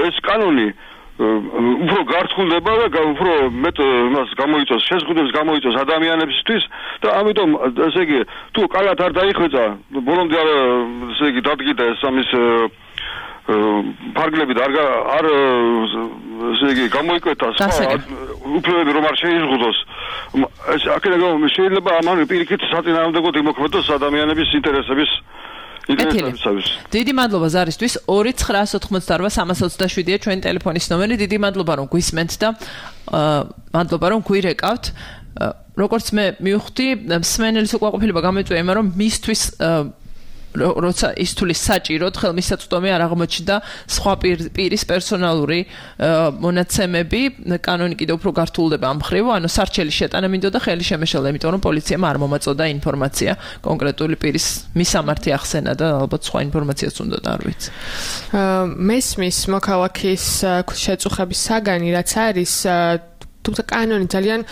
ეს კანონი უფრო გართხულდება და უფრო მეტ მას გამოიწვევს, შეზღუდვებს გამოიწვევს ადამიანებისთვის და ამიტომ ესე იგი თუ კალათ არ დაიხვეწა, ბოლომდე არ ესე იგი დადგიდა ეს ამის ფარგლები და არ არ ესე იგი გამოიკვეთა სხვა უფლებები რომ არ შეიზღუდოს. ეს აქედან გამომდინარე შეიძლება ამან პირიქით საწინააღმდეგოდ იმოქმედოს ადამიანების ინტერესების დიდი მადლობა ზარისთვის. ორი ცხრაას ოთხმოცდაორვა სამას ოცდაშვიდია ჩვენი ტელეფონის ნომერი. დიდი მადლობა რომ გვისმენთ და მადლობა რომ გვირეკავთ. როგორც მე მივხვდი, მსმენელის უკმაყოფილება გამოიწვია იმან, რომ მისთვის როცა ის თulis საჭიროდ ხელმისაწვდომი არ აღმოჩნდა სხვა პირის პერსონალური მონაცემები, კანონი კიდევ უფრო გართულდება ამ მხრივ, ანუ სარჩელი შეტანა მინდოდა ხელი შემეშალა, იმიტომ რომ პოლიციამ არ მომაწოდა ინფორმაცია კონკრეტული პირის მისამართი ახსენა და ალბათ სხვა ინფორმაციაც უნდა და არ ვიცი. მესმის მოქალაქის შეწუხების საგანი რაც არის თუმცა კანონი ძალიან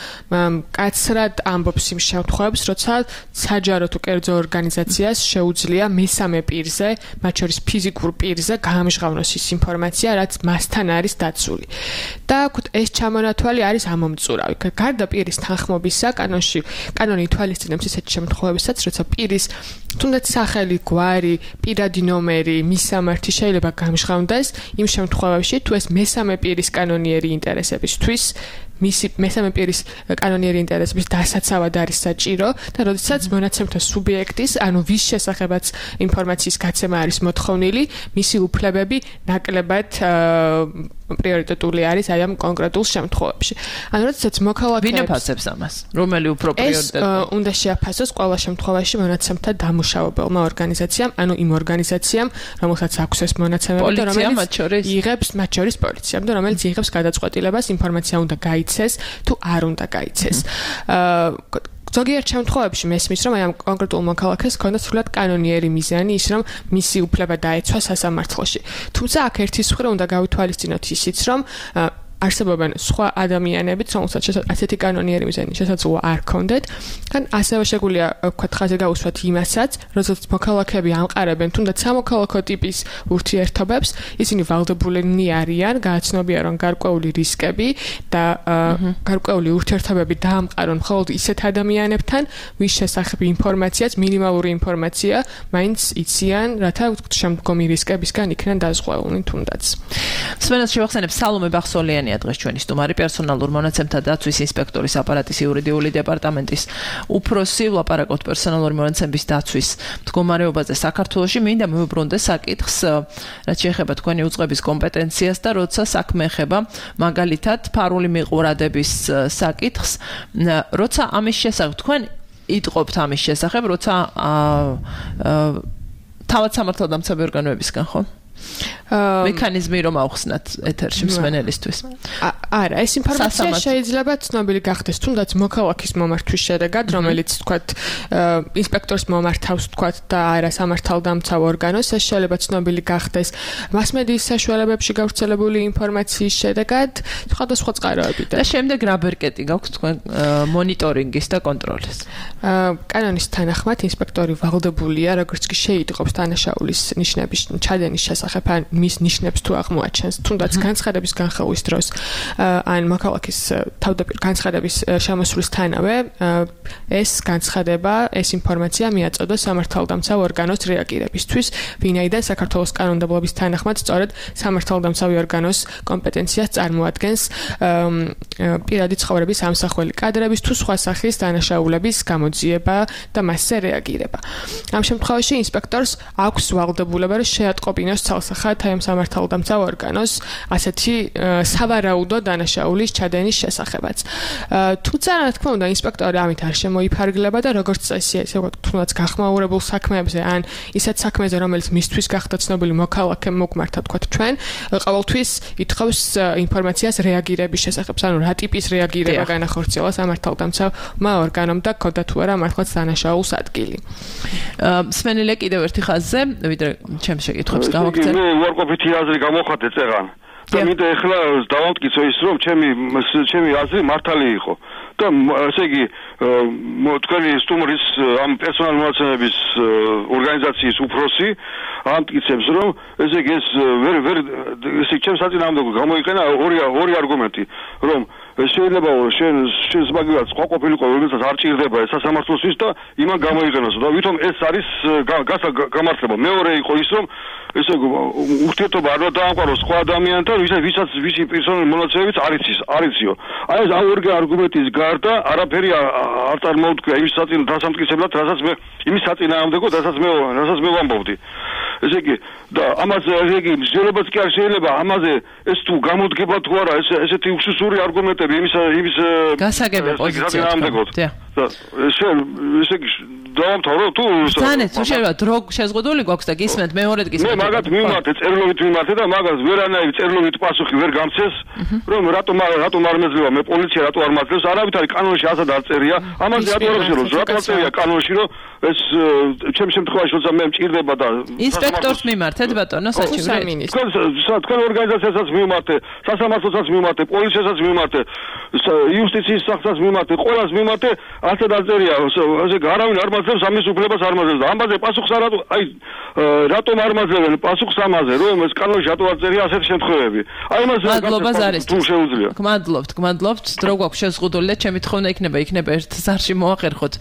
კაცრად ამბობს იმ შემთხვევებს, როცა საჯარო თუ კერძო ორგანიზაციას შეუძლია მესამე პირზე, მათ შორის ფიზიკურ პირზე გაამჟღავნოს ის ინფორმაცია, რაც მასთან არის დაცული. და ეს ჩამონათვალი არის ამომწურავი. გარდა პირის თანხმობისა, კანონში კანონი ითვალისწინებს ისეთ შემთხვევებსაც, როცა პირის თუნდაც სახელი, გვარი, პირადი ნომერი, მისამართი შეიძლება გამჟღავნდეს იმ შემთხვევებში, თუ ეს მესამე პირის კანონიერი ინტერესებისთვის მისი მესამე პირის კანონიერი ინტერესების დასაცავად არის საჭირო და როდესაც მონაცემთა სუბიექტის, ანუ ვის შესახებაც ინფორმაციის გაცემა არის მოთხოვნილი, მისი უფლებები ნაკლებად პრიორიტეტული არის აი ამ კონკრეტულ შემთხვევებში. ანუ როდესაც მოქალაქეებს ვინ აფასებს ამას? რომელი უფრო პრიორიტეტულია? ეს უნდა შეაფასოს ყველა შემთხვევაში მონაცემთა დამუშავებელმა ორგანიზაციამ, ანუ იმ ორგანიზაციამ, რომელსაც აქვს ეს მონაცემები და რომელიც იღებს, მათ შორის პოლიციამ და რომელიც იღებს გადაწყვეტილებას, ინფორმაცია უნდა გაიცეს თუ არ უნდა გაიცეს. აა ზოგიერთ შემთხვევებში მესმის, რომ აი ამ კონკრეტულ მოქალაქეს ჰქონდა სრულად კანონიერი მიზანი ის, რომ მისი უფლება დაეცვა სასამართლოში. თუმცა აქ ერთის მხრივ უნდა გავითვალისწინოთ ისიც, რომ არსებობენ სხვა ადამიანებიც, რომელსაც ასეთი კანონიერი მიზანი შესაძლოა არ ქონდეთ, ან ასევე შეგვიძლია ვქოთ ხაზი გაუსვათ იმასაც, როდესაც მოქალაქეები ამყარებენ თუნდაც სამოქალაქო ტიპის ურთიერთობებს, ისინი ვალდებულნი არიან გააცნობიან, რომ გარკვეული რისკები და გარკვეული ურთიერთობები დაამყარონ მხოლოდ ისეთ ადამიანებთან, ვის შესახებ ინფორმაციაც, მინიმალური ინფორმაცია მაინც იციან, რათა შემდგომი რისკებისგან იქნან დაზღვეულნი თუნდაც. სვენას შევახსენებ სალომე ბახსოლიანი დღეს ჩვენი სტუმარი პერსონალურ მონაცემთა დაცვის ინსპექტორის აპარატის იურიდიული დეპარტამენტის უფროსი ვლაპარაკობთ პერსონალური მონაცემების დაცვის მდგომარეობაზე საქართველოში. მინდა მივუბრუნდე საკითხს, რაც შეეხება თქვენი უწყების კომპეტენციას და როცა საქმე ეხება მაგალითად ფარული მიყურადების საკითხს, როცა ამის შესახებ თქვენ იტყობთ ამის შესახებ, როცა თავად სამართალდამცავი ორგანოებისგან, ხო? მექანიზმი რომ ავხსნათ ეთერში მსმენელისთვის. არა, ეს ინფორმაცია შეიძლება ცნობილი გახდეს თუნდაც მოქალაქის მომართვის შედეგად, რომელიც თქვათ ინსპექტორს მომართავს თქვათ და არა სამართალდამცავ ორგანოს, ეს შეიძლება ცნობილი გახდეს მასმედიის საშუალებებში გავრცელებული ინფორმაციის შედეგად, სხვადასხვა წყაროებიდან. და შემდეგ რა ბერკეტი გაქვთ თქვენ მონიტორინგის და კონტროლის? კანონის თანახმად ინსპექტორი ვალდებულია, როგორც კი შეიტყობს დანაშაულის ნიშნების ჩადენის შესახებ ან მის ნიშნებს თუ აღმოაჩენს, თუნდაც განცხადების განხილვის დროს ან მოქალაქის თავდაპირ განცხადების შემოსვლისთანავე ეს განცხადება, ეს ინფორმაცია მიაწოდოს სამართალდამცავ ორგანოს რეაგირებისთვის, ვინაიდან საქართველოს კანონმდებლობის თანახმად სწორედ სამართალდამცავი ორგანოს კომპეტენციას წარმოადგენს პირადი ცხოვრების ამსახველი კადრების თუ სხვა სახის დანაშაულების გამოძიება და მასზე რეაგირება. ამ შემთხვევაში ინსპექტორს აქვს ვალდებულება შეატყობინოს ცალსახად აი ამ სამართალდამცავ ორგანოს ასეთი სავარაუდო დანაშაულის ჩადენის შესახებაც. თუმცა რა თქმა უნდა ინსპექტორი ამით არ შემოიფარგლება და როგორც წესი ესე ვთქვათ თუნდაც გახმაურებულ საქმეებზე ან ისეთ საქმეზე რომელიც მისთვის გახდა ცნობილი მოქალაქემ მოგმართა თქვათ ჩვენ ყოველთვის ითხოვს ინფორმაციას რეაგირების შესახებ, ანუ რა ტიპის რეაგირება განახორციელა სამართალდამცავმა ორგანომ და ქონდა თუ არა მართლაც დანაშაულს ადგილი. სმენელე კიდევ ერთი ხაზზე, ვიდრე ჩემს შეკითხვებს გავაკეთე. მე უარყოფითი აზრი გამოხატე წეღან. და მინდა ეხლა დავამტკიცო ის რომ ჩემი ჩემი აზრი მართალი იყო. და ესე იგი თქვენი სტუმრის ამ პერსონალ მონაცემების ორგანიზაციის უფროსი ამტკიცებს რომ ესე იგი ეს ვერ ვერ ესე ჩემს საწინააღმდეგო გამოიყენა ორი ორი არგუმენტი რომ შეიძლება შენ შენს მაგალითად სხვა ყოფილიყო რომელსაც არ ჭირდება ეს სასამართლოსთვის და იმან გამოიყენოს და ვითომ ეს არის გამართლება. მეორე იყო ის რომ ესე იგი ურთიერთობა არ დაამყაროს სხვა ადამიანთან ვისაც ვისაც ვისი პერსონალური მონაცემებიც არ იცის არ იციო. აი ეს ორი არგუმენტის გარდა არაფერი არ წარმოუდგა იმის საწინ დასამტკიცებლად რასაც მე იმის საწინააღმდეგო რასაც მე რასაც მე ვამბობდი. ესე იგი და ამაზე ესე იგი მსჯელობაც კი არ შეიძლება ამაზე ეს თუ გამოდგება თუ არა ეს ესეთი უსუსური არგუმენტები იმის იმის გასაგები პოზიცია და შენ ესე იგი დავამთავრო თუ თანეთ თუ შეიძლება დრო შეზღუდული გვაქვს და გისმენთ მეორედ გისმენთ მე მაგათ მიმართე წერილობით მიმართე და მაგას ვერანაირი წერილობით პასუხი ვერ გამცეს რომ რატომ რატომ არ მეძლევა მე პოლიცია რატო არ მაძლევს არავით არის კანონში ასად არ წერია ამაზე რატო არ ვშერო რატო არ წერია კანონში რომ ეს ჩემ შემთხვევაში როცა მე მჭირდება და ინსპექტორს მიმართეთ ბატონო საჩივრი თქვენ თქვენ ორგანიზაციასაც მიმართე სასამართლოსაც მიმართე პოლიციასაც მიმართე იუსტიციის სახლსაც მიმართე ყველას მიმართე ასე დაწერია, ასე არავინ არ მაძლევს ამის უფლებას არ მაძლევს და ამაზე პასუხს არ აი რატომ არ მაძლევენ პასუხს ამაზე, რომ ეს კანონში რატო არ წერია ასეთი შემთხვევები. აი იმაზე თუ შეუძლია. გმადლობთ, გმადლობთ. დრო გვაქვს შეზღუდული და ჩემი თხოვნა იქნება, იქნება ერთ ზარში მოახერხოთ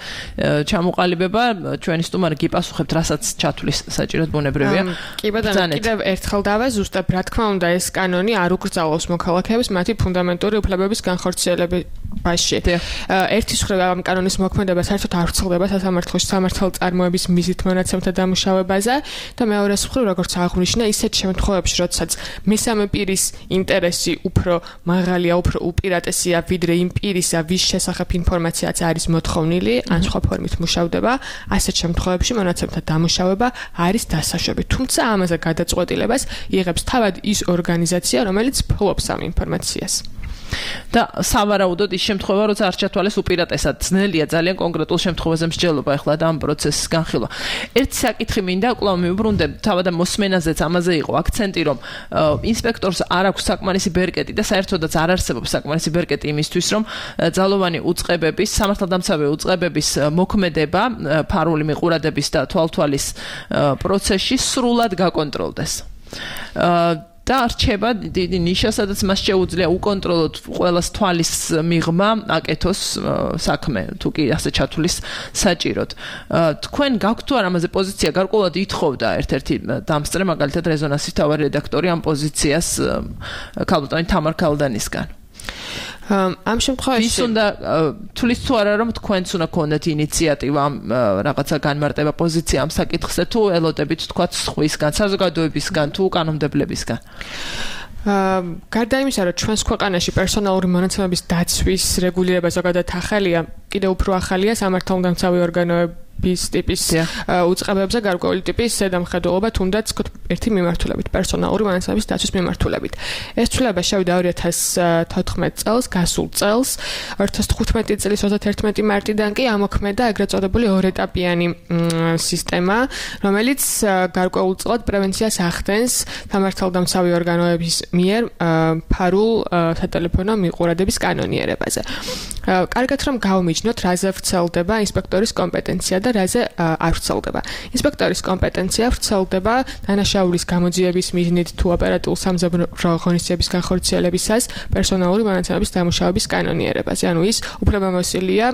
ჩამოყალიბება, ჩვენი სტუმარი გიპასუხებთ, რასაც ჩათვლის საჭიროდ ბუნებრივია. კი ბატონო, კიდევ ერთხელ დავე ზუსტად რა თქმა უნდა ეს კანონი არ უკრძალავს მოქალაქეებს მათი ფუნდამენტური უფლებების განხორციელებაში. ერთის მხრივ ამ კანონის მოქმედება საერთოდ არ ვრცელდება სასამართლოში სამართალწარმოების მიზით მონაცემთა დამუშავებაზე და მეორეს მხრივ როგორც აღნიშნა ისეთ შემთხვევებში როდესაც მესამე პირის ინტერესი უფრო მაღალია, უფრო უპირატესია ვიდრე იმ პირისა, ვის შესახებ ინფორმაციაც არის მოთხოვნილი, ან სხვა ფორმით მუშავდება, ასეთ შემთხვევებში მონაცემთა დამუშავება არის დასაშვები. თუმცა ამაზე გადაწყვეტილებას იღებს თავად ის ორგანიზაცია, რომელიც ფლობს ამ ინფორმაციას. და სავარაუდოდ ის შემთხვევა, როცა არ ჩათვალეს უპირატესად, ძნელია ძალიან კონკრეტულ შემთხვევაზე მსჯელობა ახლა და ამ პროცესის განხილვა. ერთი საკითხი მინდა კვლავ მივბრუნდე, თავად მოსმენაზეც ამაზე იყო აქცენტი, რომ ინსპექტორს არ აქვს საკმარისი ბერკეტი და საერთოდაც არ არსებობს საკმარისი ბერკეტი იმისთვის, რომ ძალოვანი უწყებების, სამართალდამცავი უწყებების მოქმედება ფარული მიყურადების და თვალთვალის პროცესში სრულად გაკონტროლდეს. და რჩება დიდი ნიშა, სადაც მას შეუძლია უკონტროლოთ ყველას თვალის მიღმა აკეთოს საქმე, თუ კი ასე ჩათვლის საჭიროდ. თქვენ გაქვთ თუ არა ამაზე პოზიცია, გარკვეულად ითხოვდა ერთ-ერთი დამსწრე, მაგალითად რეზონანსის თავარი რედაქტორი ამ პოზიციას ქალბატონი თამარ ქალდანისგან. ამ შემთხვევაში ვის უნდა თulis თუ არა რომ თქვენც უნდა გქონდეთ ინიციატივა ამ რაღაცა განმარტება პოზიცია ამ საკითხზე თუ ელოდებით თქვა სხვისგან, საზოგადოებისგან თუ კანონმდებლებისგან. გარდა იმისა, რომ ჩვენს ქვეყანაში პერსონალური მონაცემების დაცვის რეგულირება ზოგადად ახალია, კიდევ უფრო ახალია სამართალდამცავი ორგანოები bis ტიპის უწყებებზე გარკვეული ტიპის ზედამხედველობა თუნდაც ერთი მიმართულებით პერსონალური მონაცემების დაცვის მიმართულებით. ეს ცვლილება შევიდა ორი ათას თოთხმეტ წელს, გასულ წელს, ორი ათას თხუთმეტი წლის ოცდაერთმეტი მარტიდან კი ამოქმედა ეგრეთ წოდებული ორეტაპიანი სისტემა, რომელიც გარკვეულწილად პრევენციას ახდენს სამართალდამცავი ორგანოების მიერ ფარულ სატელეფონო მიყურადების კანონიერებაზე. კარგად რომ გავმიჯნოთ, რაზე ვრცელდება ინსპექტორის კომპეტენცია და რაზე არ ვრცელდება. ინსპექტორის კომპეტენცია ვრცელდება დანაშაულის გამოძიების მიზნით თუ ოპერატიულ სამზადო ღონისძიების განხორციელებისას პერსონალური მონაცემების დამუშავების კანონიერებაზე. ანუ ის უფლებამოსილია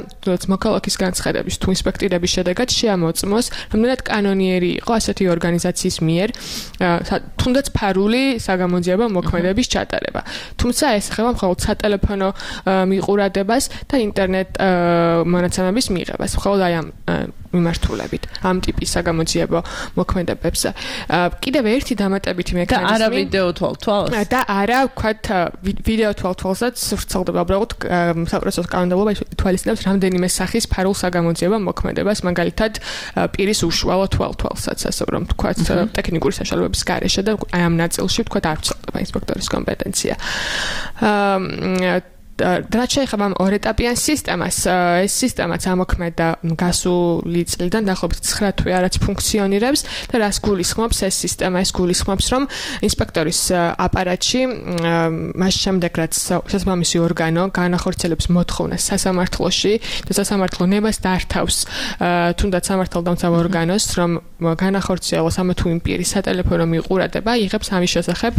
მოქალაქის განცხადების თუ ინსპექტირების შედეგად შეამოწმოს, რამდენად კანონიერი იყო ასეთი ორგანიზაციის მიერ თუნდაც ფარული საგამოძიებო მოქმედების ჩატარება. თუმცა ეს ეხება მხოლოდ სატელეფონო მიყურადებას და ინტერნეტ მონაცემების მიღებას. მხოლოდ აი ამ მიმართულებით ამ ტიპის საგამოძიებო მოქმედებებზე. კიდევ ერთი დამატებითი მექანიზმი და არა ვიდეო თვალთვალს და არა ვქვათ ვიდეო თვალთვალსაც ვრცელდება უბრალოდ საპროცესო კანონმდებლობა თვალისწინებს რამდენიმე სახის ფარულ საგამოძიებო მოქმედებას, მაგალითად პირის უშუალო თვალთვალსაც, ასე რომ ვქვათ ტექნიკური საშუალებების გარეშე და აი ამ ნაწილში ვქვათ არ ვრცელდება ინსპექტორის კომპეტენცია. რაც შეეხება ამ ორეტაპიან სისტემას, ეს სისტემაც ამოქმედა გასული წლიდან დაახლოებით ცხრა თვე არაც ფუნქციონირებს და რას გულისხმობს ეს სისტემა? ეს გულისხმობს, რომ ინსპექტორის აპარატში მას შემდეგ რაც სასამართლო ორგანო განახორციელებს მოთხოვნას სასამართლოში და სასამართლო ნებას დართავს თუნდაც სამართალდამცავ ორგანოს, რომ განახორციელოს ამა თუ იმ პირის სატელეფონო მიყურადება, იღებს ამის შესახებ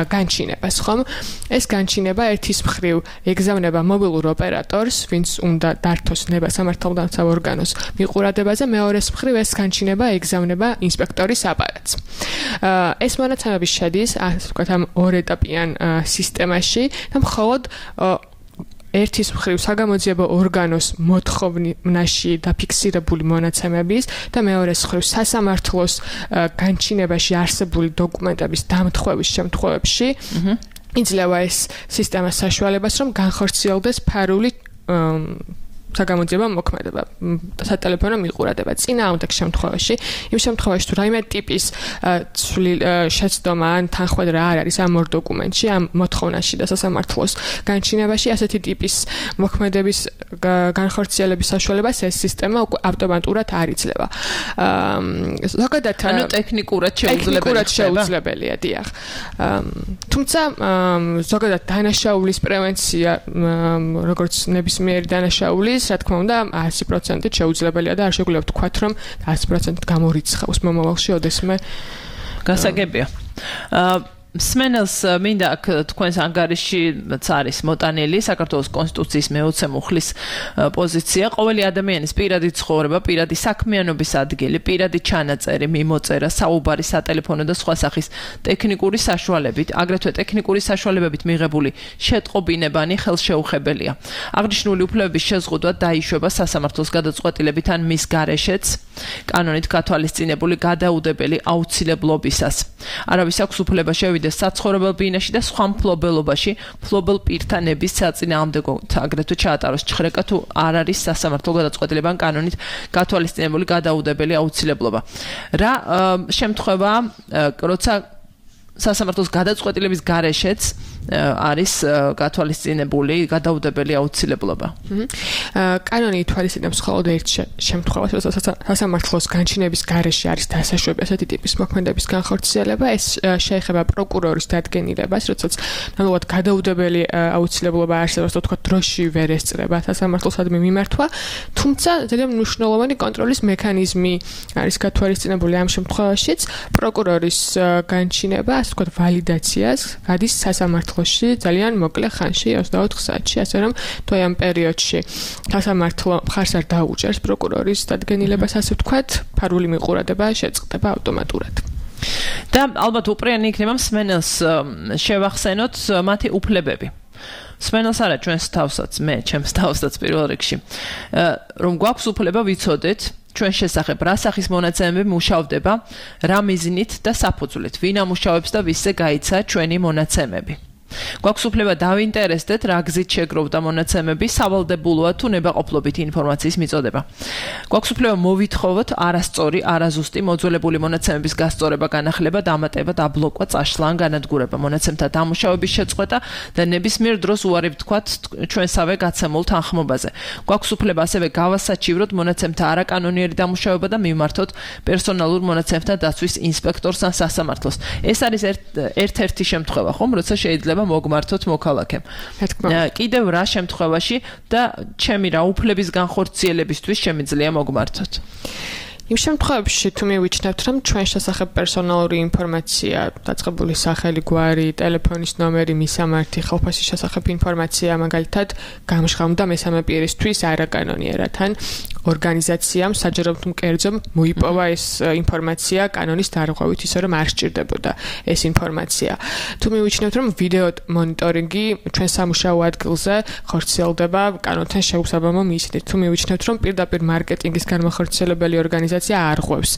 განჩინებას, ხომ? ეს განჩინება ერთის მხრივ ეგზავნება მობილურ ოპერატორს, ვინც უნდა დართოს ნება სამართალდამცავ ორგანოს მიყურადებაზე, მეორეს მხრივ ეს განჩინება ეგზავნება ინსპექტორის აპარატს. ეს მონაცემები შედის, ასე ვთქვათ, ამ ორეტაპიან სისტემაში და მხოლოდ ერთის მხრივ საგამოძიებო ორგანოს მოთხოვნაში დაფიქსირებული მონაცემების და მეორეს მხრივ სასამართლოს განჩინებაში არსებული დოკუმენტების დამთხვევის შემთხვევებში იძლევა ეს სისტემას საშუალებას, რომ განხორციელდეს ფარული საგამოძიებო მოქმედება, სატელეფონო მიყურადება. წინააღმდეგ შემთხვევაში, იმ შემთხვევაში თუ რაიმე ტიპის შეცდომა ან თანხმედრა არ არის ამ ორ დოკუმენტში, ამ მოთხოვნაში და სასამართლოს განჩინებაში, ასეთი ტიპის მოქმედების განხორციელების საშუალებას ეს სისტემა უკვე ავტომატურად არ იძლევა. ზოგადად ანუ ტექნიკურად შეუძლებელია, დიახ. თუმცა ზოგადად დანაშაულის პრევენცია, როგორც ნებისმიერი დანაშაულის არის, რა თქმა უნდა, one hundred percent შეუძლებელია და არ შეგვიძლია ვთქვათ, რომ one hundred percent გამორიცხავს მომავალში ოდესმე გასაგებია. აა სმენელს მინდა აქ თქვენს ანგარიში არის მოტანილი საქართველოს კონსტიტუციის მეოცე მუხლის პოზიცია. ყოველი ადამიანის პირადი ცხოვრება, პირადი საქმიანობის ადგილი, პირადი ჩანაწერი, მიმოწერა, საუბარი, სატელეფონო და სხვა სახის ტექნიკური საშუალებით, აგრეთვე ტექნიკური საშუალებებით მიღებული შეტყობინებანი ხელშეუხებელია. აღნიშნული უფლებების შეზღუდვა დაიშვება სასამართლოს გადაწყვეტილებით ან მის გარეშეც კანონით გათვალისწინებული გადაუდებელი აუცილებლობისას. არავის აქვს უფლება შევიდეს საცხოვრებელ ბინაში და სხვა მფლობელობაში მფლობელ პირთა ნების საწინააღმდეგოდ აგრეთვე ჩაატაროს ჭხრეკა თუ არ არის სასამართლო გადაწყვეტილება ან კანონით გათვალისწინებული გადაუდებელი აუცილებლობა. რა შემთხვევაა, როცა სასამართლოს გადაწყვეტილების გარეშეც არის გათვალისწინებული გადაუდებელი აუცილებლობა. კანონი ითვალისწინებს მხოლოდ ერთ შემთხვევას, როცა სასამართლოს განჩინების გარეშე არის დასაშვები ასეთი ტიპის მოქმედების განხორციელება, ეს შეეხება პროკურორის დადგენილებას, როდესაც ნამდვილად გადაუდებელი აუცილებლობა არსებობს, თქო დროში ვერ ესწრება სასამართლოსადმი მიმართვა, თუმცა ძალიან მნიშვნელოვანი კონტროლის მექანიზმი არის გათვალისწინებული ამ შემთხვევაშიც, პროკურორის განჩინება, ასე ვთქვათ, ვალიდაციას გადის სასამართლო ძალიან მოკლე ხანში, ოცდაოთხ საათში, ასე რომ თუ ამ პერიოდში სასამართლო მხარს არ დაუჭერს პროკურორის დადგენილებას, ასე ვთქვათ, ფარული მიყურადება შეწყდება ავტომატურად. და ალბათ უპრიანი იქნება მსმენელს შევახსენოთ მათი უფლებები. მსმენელს არა ჩვენს თავსაც, მე ჩემს თავსაც პირველ რიგში, რომ გვაქვს უფლება ვიცოდეთ ჩვენ შესახებ რა სახის მონაცემები მუშავდება, რა მიზნით და საფუძვლით, ვინ ამუშავებს და ვისზე გაიცა ჩვენი მონაცემები. გვაქვს უფლება დავინტერესდეთ, რა გზით შეგროვდა მონაცემები, სავალდებულოა თუ ნებაყოფლობით ინფორმაციის მიწოდება. გვაქვს უფლება მოვითხოვოთ არასწორი, არაზუსტი მოძველებული მონაცემების გასწორება, განახლება, დამატება, დაბლოკვა, წაშლა ან განადგურება, მონაცემთა დამუშავების შეწყვეტა და ნებისმიერ დროს უარი ვთქვათ ჩვენსავე გაცემულ თანხმობაზე. გვაქვს უფლება ასევე გავასაჩივროთ მონაცემთა არაკანონიერი დამუშავება და მივმართოთ პერსონალურ მონაცემთა დაცვის ინსპექტორს ან სასამართლოს. ეს არის ერთ-ერთი შემთხვევა, ხომ, როცა შეიძლება მოგმართოთ მოქალაქემ. კიდევ რა შემთხვევაში და ჩემი რა უფლების განხორციელებისთვის შემიძლია მოგმართოთ? იმ შემთხვევებში თუ მივიჩნევთ, რომ ჩვენ შესახებ პერსონალური ინფორმაცია, დაწყებული სახელი, გვარი, ტელეფონის ნომერი, მისამართი, ხელფასის შესახებ ინფორმაცია, მაგალითად, გამჟღავნდა მესამე პირისთვის არაკანონიერად, ან ორგანიზაციამ საჯაროდ მკერձომ მოიპოვა ეს ინფორმაცია კანონის დარღვევით, ისე რომ არ სჭირდებოდა ეს ინფორმაცია. თუ მივიჩნევთ, რომ ვიდეო მონიტორინგი ჩვენ სამუშაო ადგილზე ხორციელდება კანონთან შეუსაბამო მიზნით, თუ მივიჩნევთ, რომ პირდაპირ მარკეტინგის განმახორციელებელი ორგანიზაცია არ ღვევს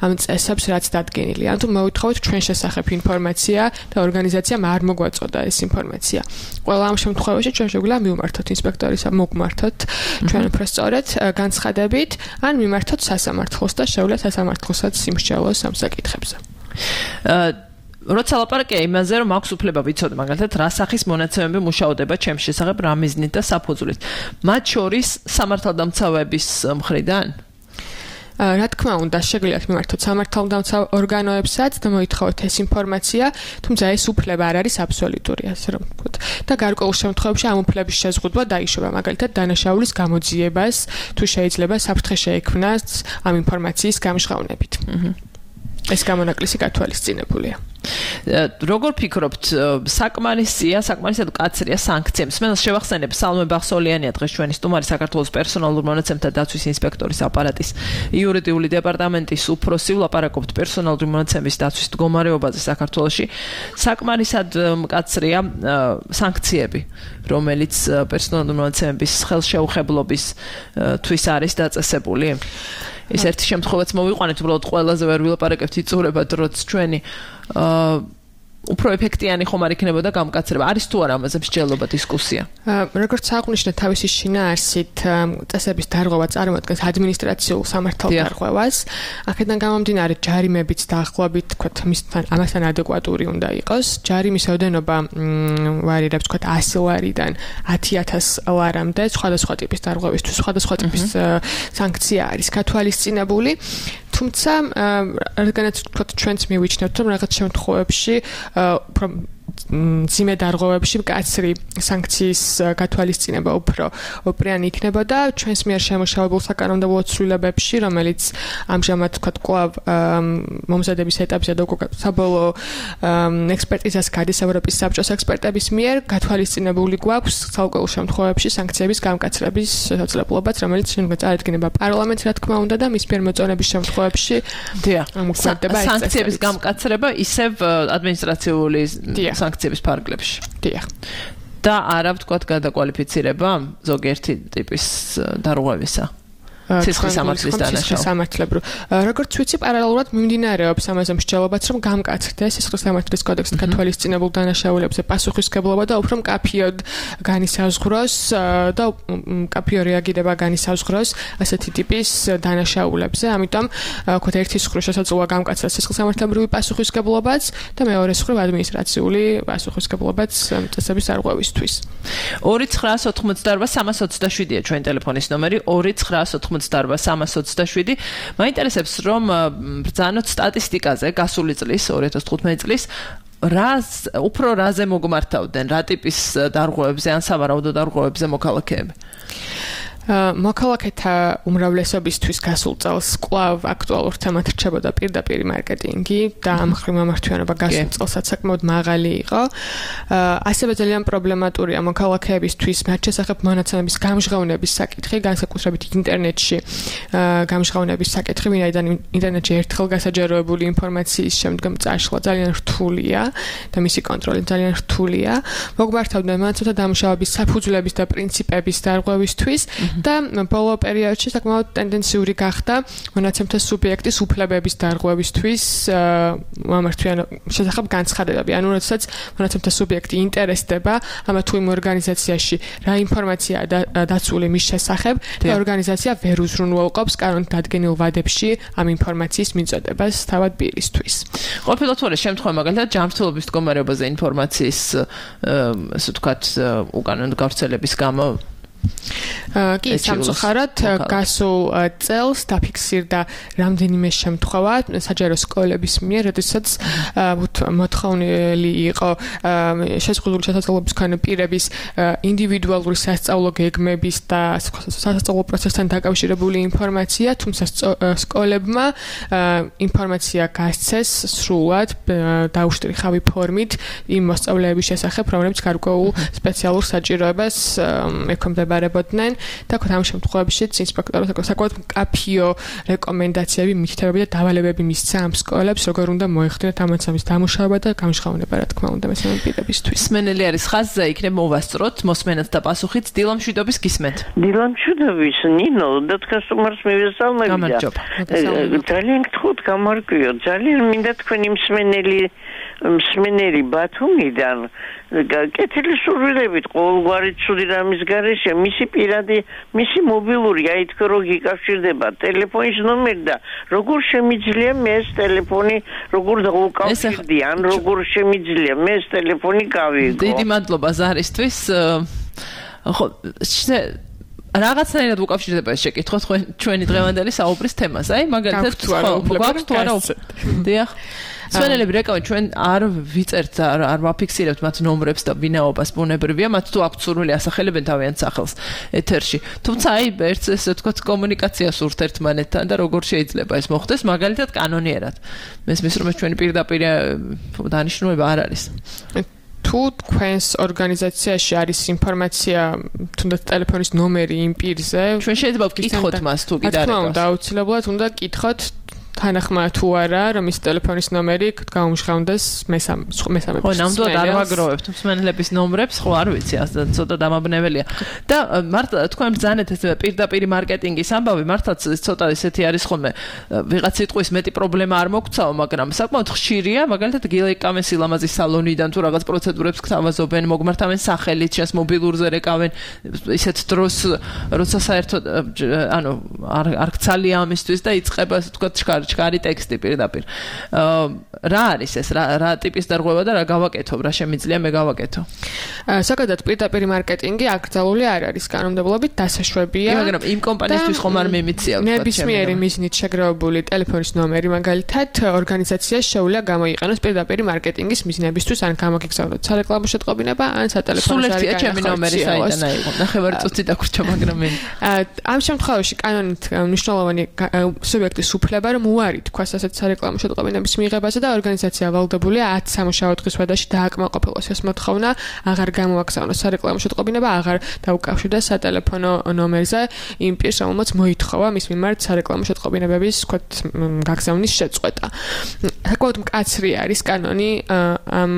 ამ წესებს, რაც დადგენილია, ან თუ მოვითხოვოთ ჩვენ შესახებ ინფორმაცია და ორგანიზაციამ არ მოგვაწოდა ეს ინფორმაცია. ყველა ამ შემთხვევაში ჩვენ შეგვიძლია მივმართოთ ინსპექტორის, მოგმართოთ ჩვენ უფრო სწორედ განცხადებით, ან მიმართოთ სასამართლოს და შეუძლია სასამართლოსაც სიმსჯავროს ამ საკითხებზე. როცა ლაპარაკია იმაზე, რომ აქვს უფლება ვიცოდე, მაგალითად, რა სახის მონაცემები მუშაობდება ჩემს შესახებ, რა მიზნით და საფუძვლით. მათ შორის სამართალდამცავების მხრიდან? რა თქმა უნდა, შეგიძლიათ მიმართოთ სამართალდამცავ ორგანოებსაც და მოითხოვოთ ეს ინფორმაცია, თუმცა ეს უფლება არ არის აბსოლუტური, ასე რომ ვთქვათ. და გარკვეულ შემთხვევებში ამ უფლების შეზღუდვა დაიშვება, მაგალითად, დანაშაულის გამოძიებას, თუ შეიძლება საფრთხე შეექმნას ამ ინფორმაციის გამჟღავნებით. ეს გამონაკლისი გათვალისწინებულია. როგორ ფიქრობთ, საკმარისია, საკმარისად მკაცრია სანქცია? მსმენელს შევახსენებ, სალმე ბახსოლიანია დღეს ჩვენი სტუმარი, საქართველოს პერსონალურ მონაცემთა დაცვის ინსპექტორის აპარატის იურიდიული დეპარტამენტის უფროსი, ვლაპარაკობთ პერსონალური მონაცემების დაცვის მდგომარეობაზე საქართველოში. საკმარისად მკაცრია სანქციები, რომელიც პერსონალური მონაცემების ხელშეუხებლობის თვის არის დაწესებული? ეს ერთი შემთხვევაც მოვიყვანეთ, უბრალოდ ყველაზე ვერ ვილაპარაკებთ იწურება დროც ჩვენი აა უფრო ეფექტიანი ხომ არ იქნებოდა გამკაცრება. არის თუ არა ამაზე მსჯელობა, დისკუსია? როგორც აღვნიშნე, თავისი შინაარსით წესების დარღვევა წარმოადგენს ადმინისტრაციულ სამართალდარღვევას. აქედან გამომდინარე, ჯარიმებიც დაახლოებით, თქვათ, მისთან ამასთან ადეკვატური უნდა იყოს. ჯარიმის ოდენობა ვარირებს, თქვათ, ასი ლარიდან ათი ათას ლარამდე, სხვადასხვა ტიპის დარღვევისთვის სხვადასხვა ტიპის სანქცია არის გათვალისწინებული. თუმცა, რადგანაც თქვათ, ჩვენც მივიჩნევთ, რომ რაღაც შემთხვევებში უფრო ძიმე დარღვევებში მკაცრი სანქციის გათვალისწინება უფრო ოპრიანი იქნებოდა ჩვენს მიერ შემუშავებულ საკანონმდებლო ცვლილებებში, რომელიც ამჟამად თქვათ კვლავ მომზადების ეტაპზე და უკვე საბოლოო ექსპერტიზას გადის ევროპის საბჭოს ექსპერტების მიერ გათვალისწინებული გვაქვს ცალკეულ შემთხვევებში სანქციების გამკაცრების შესაძლებლობაც, რომელიც შემდგომ წარადგინება პარლამენტს, რა თქმა უნდა და მის მიერ მოწონების შემთხვევებში მოქმედება ეს სანქციების გამკაცრება ისევ ადმინისტრაციული სანქციების ფარგლებში. დიახ. და არა ვთქვათ გადაკვალიფიცირება ზოგიერთი ტიპის დარღვევისა. სისხლის სამართლის დანაშაული. სამართლებრივ. როგორც ვიცი, პარალელურად მიმდინარეობს ამაზე მსჯელობაც, რომ გამკაცრდეს სისხლის სამართლის კოდექსით გათვალისწინებულ დანაშაულებზე პასუხისმგებლობა და უფრო მკაფიოდ განისაზღვროს და მკაფიო რეაგირება განისაზღვროს ასეთი ტიპის დანაშაულებზე. ამიტომ ვთქვათ, ერთი მხრივ შესაძლოა გამკაცრდეს სისხლის სამართლებრივი პასუხისმგებლობაც და მეორე მხრივ ადმინისტრაციული პასუხისმგებლობაც წესების დარღვევისთვის. ორი ცხრაას ოთხმოცდაორბა სამას ოცდაშვიდია ჩვენი ტელეფონის ნომერი ორი ცხრაას ოთხმოცდაორბა სამას ოცდაშვიდი. მაინტერესებს რომ ბრძანოთ სტატისტიკაზე გასული წლის ორი ათას თხუთმეტი წლის რას უფრო რაზე მოგმართავდნენ რა ტიპის დარღვევებზე ან სავარაუდო დარღვევებზე მოქალაქეები? მოქალაქეთა უმრავლესობისთვის გასულ წელს კვლავ აქტუალურ თემად რჩებოდა პირდაპირი მარკეტინგი და ამ ხრივ მომართვიანობა გასულ წელსაც საკმაოდ მაღალი იყო. ასევე ძალიან პრობლემატურია მოქალაქეებისთვის მათ შესახებ მონაცემების გამჟღავნების საკითხი, განსაკუთრებით ინტერნეტში გამჟღავნების საკითხი, ვინაიდან ინტერნეტში ერთხელ გასაჯაროებული ინფორმაციის შემდგომ წაშლა ძალიან რთულია და მისი კონტროლი ძალიან რთულია. მოგმართავდნენ მონაცემთა დამუშავების საფუძვლების და პრინციპების დარღვევისთვის. და ბოლო პერიოდში საკმაოდ ტენდენციური გახდა მონაცემთა სუბიექტის უფლებების დარღვევისთვის მომართვიან შესახებ განცხადებები. ანუ როდესაც მონაცემთა სუბიექტი ინტერესდება ამა თუ იმ ორგანიზაციაში რა ინფორმაციაა დაცული მის შესახებ და ორგანიზაცია ვერ უზრუნველყოფს კანონით დადგენილ ვადებში ამ ინფორმაციის მიწოდებას თავად პირისთვის. ყოფილად თუ არა შემთხვევა მაგალითად ჯანმრთელობის მდგომარეობაზე ინფორმაციის ასე ვთქვათ უკანონო გავრცელების გამო კი, სამწუხაროდ გასულ წელს დაფიქსირდა რამდენიმე შემთხვევა საჯარო სკოლების მიერ, როდესაც მოთხოვნილი იყო შეზღუდული შესაძლებლობის მქონე პირების ინდივიდუალური სასწავლო გეგმების და სასწავლო პროცესთან დაკავშირებული ინფორმაცია, თუმცა სკოლებმა ინფორმაცია გასცეს სრულად დაუშტრიხავი ფორმით იმ მოსწავლეების შესახებ, რომლებიც გარკვეულ სპეციალურ საჭიროებას ექვემდებარებოდნენ და ამ შემთხვევაში ინსპექტორებს საკმაოდ მკაფიო რეკომენდაციები, მითითებები და დავალებები მისცა ამ სკოლებს, როგორ უნდა მოეხდინათ ამ ამოცანის დამუშავება და გამჟღავნება, რა თქმა უნდა, მესამე პირებისთვის. მსმენელი არის ხაზზე, იქნებ მოვასწროთ მოსმენად და პასუხით დილა მშვიდობის გისმენთ. დილა მშვიდობის, ნინო, და თქვენს უმარს მივესალმები და ძალიან გთხოვთ გამარკვიო, ძალიან მინდა თქვენი მსმენელი მსმენელი ბათუმიდან კეთილი სურვილებით ყოველგვარი ცუდი რამის გარეშე მისი პირადი მისი მობილური აი თქვენ რო გიკავშირდება ტელეფონის ნომერი და როგორ შემიძლია მე ეს ტელეფონი როგორ დავუკავშირდი ან როგორ შემიძლია მე ეს ტელეფონი გავიგო. დიდი მადლობა ზარისთვის. ხო რაღაცნაირად უკავშირდება ეს შეკითხვა ჩვენი დღევანდელი საუბრის თემას. აი მაგალითად გვაქვს თუ არა დიახ სვენელები რეკავენ ჩვენ არ ვიწერთ არ ვაფიქსირებთ მათ ნომრებს და ვინაობას ბუნებრივია მათ თუ აქვთ სურვილი ასახელებენ თავიანთ სახელს ეთერში თუმცა აი ერთს ესე ვთქვათ კომუნიკაცია სურთ ერთმანეთთან და როგორ შეიძლება ეს მოხდეს მაგალითად კანონიერად მესმის რომ ეს ჩვენი პირდაპირ დანიშნულება არ არის თუ თქვენს ორგანიზაციაში არის ინფორმაცია თუნდაც ტელეფონის ნომერი იმ პირზე ჩვენ შეიძლება ვკითხოთ მას თუ კიდე არ აქვს აუცილებლად უნდა გკითხოთ თანახმა თუ არა რომ ის ტელეფონის ნომერი გაუმჟღავნდეს მესამე მესამე ხო ნამდვილად არ ვაგროვებთ მსმენელების ნომრებს ხო არ ვიცი ასე ცოტა დამაბნეველია და მართლა თქვენ ბრძანეთ ეს პირდაპირი მარკეტინგის ამბავი მართლაც ცოტა ისეთი არის ხოლმე ვიღაც სიტყვის მეტი პრობლემა არ მოგცაო მაგრამ საკმაოდ ხშირია მაგალითად გილეკავენ სილამაზის სალონიდან თუ რაღაც პროცედურებს გთავაზობენ მოგმართავენ სახელით შენს მობილურზე რეკავენ ისეთ დროს როცა საერთოდ ანუ არ არ გცალია ამისთვის და იწყება ასე თქვა ჩქარი ტექსტი პირდაპირ. რა არის ეს? რა რა ტიპის დარღვევა და რა გავაკეთო? რა შემიძლია მე გავაკეთო? საკადად პირდაპირ მარკეტინგი აკრძალული არ არის კანონმდებლობით დასაშვებია. მაგრამ იმ კომპანიისთვის ხომ არ მიმიცია ვთქვათ. ნებისმიერი მიზნით შეგროვებული ტელეფონის ნომერი მაგალითად ორგანიზაციას შეუძლია გამოიყენოს პირდაპირ მარკეტინგის მიზნებისთვის ან გამოგიგზავნოს სარეკლამო შეტყობინება ან სატელეფონო ზარიგანი. სულ ერთია ჩემი ნომერი საიდან აიღო. ნახევარი წუთი დაგვრჩა მაგრამ მე. ამ შემთხვევაში კანონით მნიშვნელოვანი სუბიექტის უფლება რომ უარი თქვას ასეთ სარეკლამო შეტყობინების მიღებაზე და ორგანიზაცია ვალდებულია ათ სამუშაო დღის ვადაში დააკმაყოფილოს ეს მოთხოვნა, აღარ გამოაგზავნოს სარეკლამო შეტყობინება, აღარ დაუკავშირდეს სატელეფონო ნომერზე იმ პირს, რომელმაც მოითხოვა მის მიმართ სარეკლამო შეტყობინებების ვთქვათ გაგზავნის შეწყვეტა. საკმაოდ მკაცრი არის კანონი ამ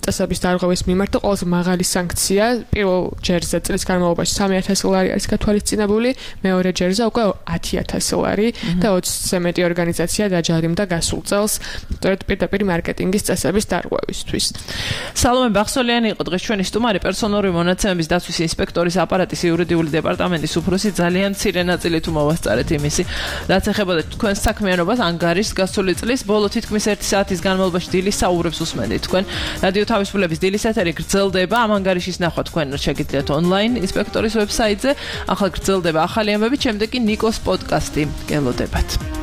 წესების დარღვევის მიმართ და ყველაზე მაღალი სანქცია პირველ ჯერზე წლის განმავლობაში სამი ათასი ლარი არის გათვალისწინებული, მეორე ჯერზე უკვე ათი ათასი ლარი და ოცზე მეტი ორგანიზაცია დაჯარიმდა გასულ წელს სწორედ პირდაპირ მარკეტინგის წესების დარღვევისთვის. სალომე ბახსოლიანი იყო დღეს ჩვენი სტუმარი, პერსონალური მონაცემების დაცვის ინსპექტორის აპარატის იურიდიული დეპარტამენტის უფროსი. ძალიან მცირე ნაწილი თუ მოვასწარეთ იმისი, რაც ეხებოდა თქვენს საქმიანობას ანგარიშს გასული წლის ბოლო თითქმის ერთი საათის განმავლობაში დილის საუბრებს უსმენდით თქვენ. რადიო თავისუფლების დილის ეთერი გრძელდება, ამ ანგარიშის ნახვა თქვენ შეგიძლიათ ონლაინ ინსპექტორის ვებსაიტზე. ახლა გრძელდება ახალი ამბები, შემდეგ კი ნიკოს პოდკასტი. გელოდებათ.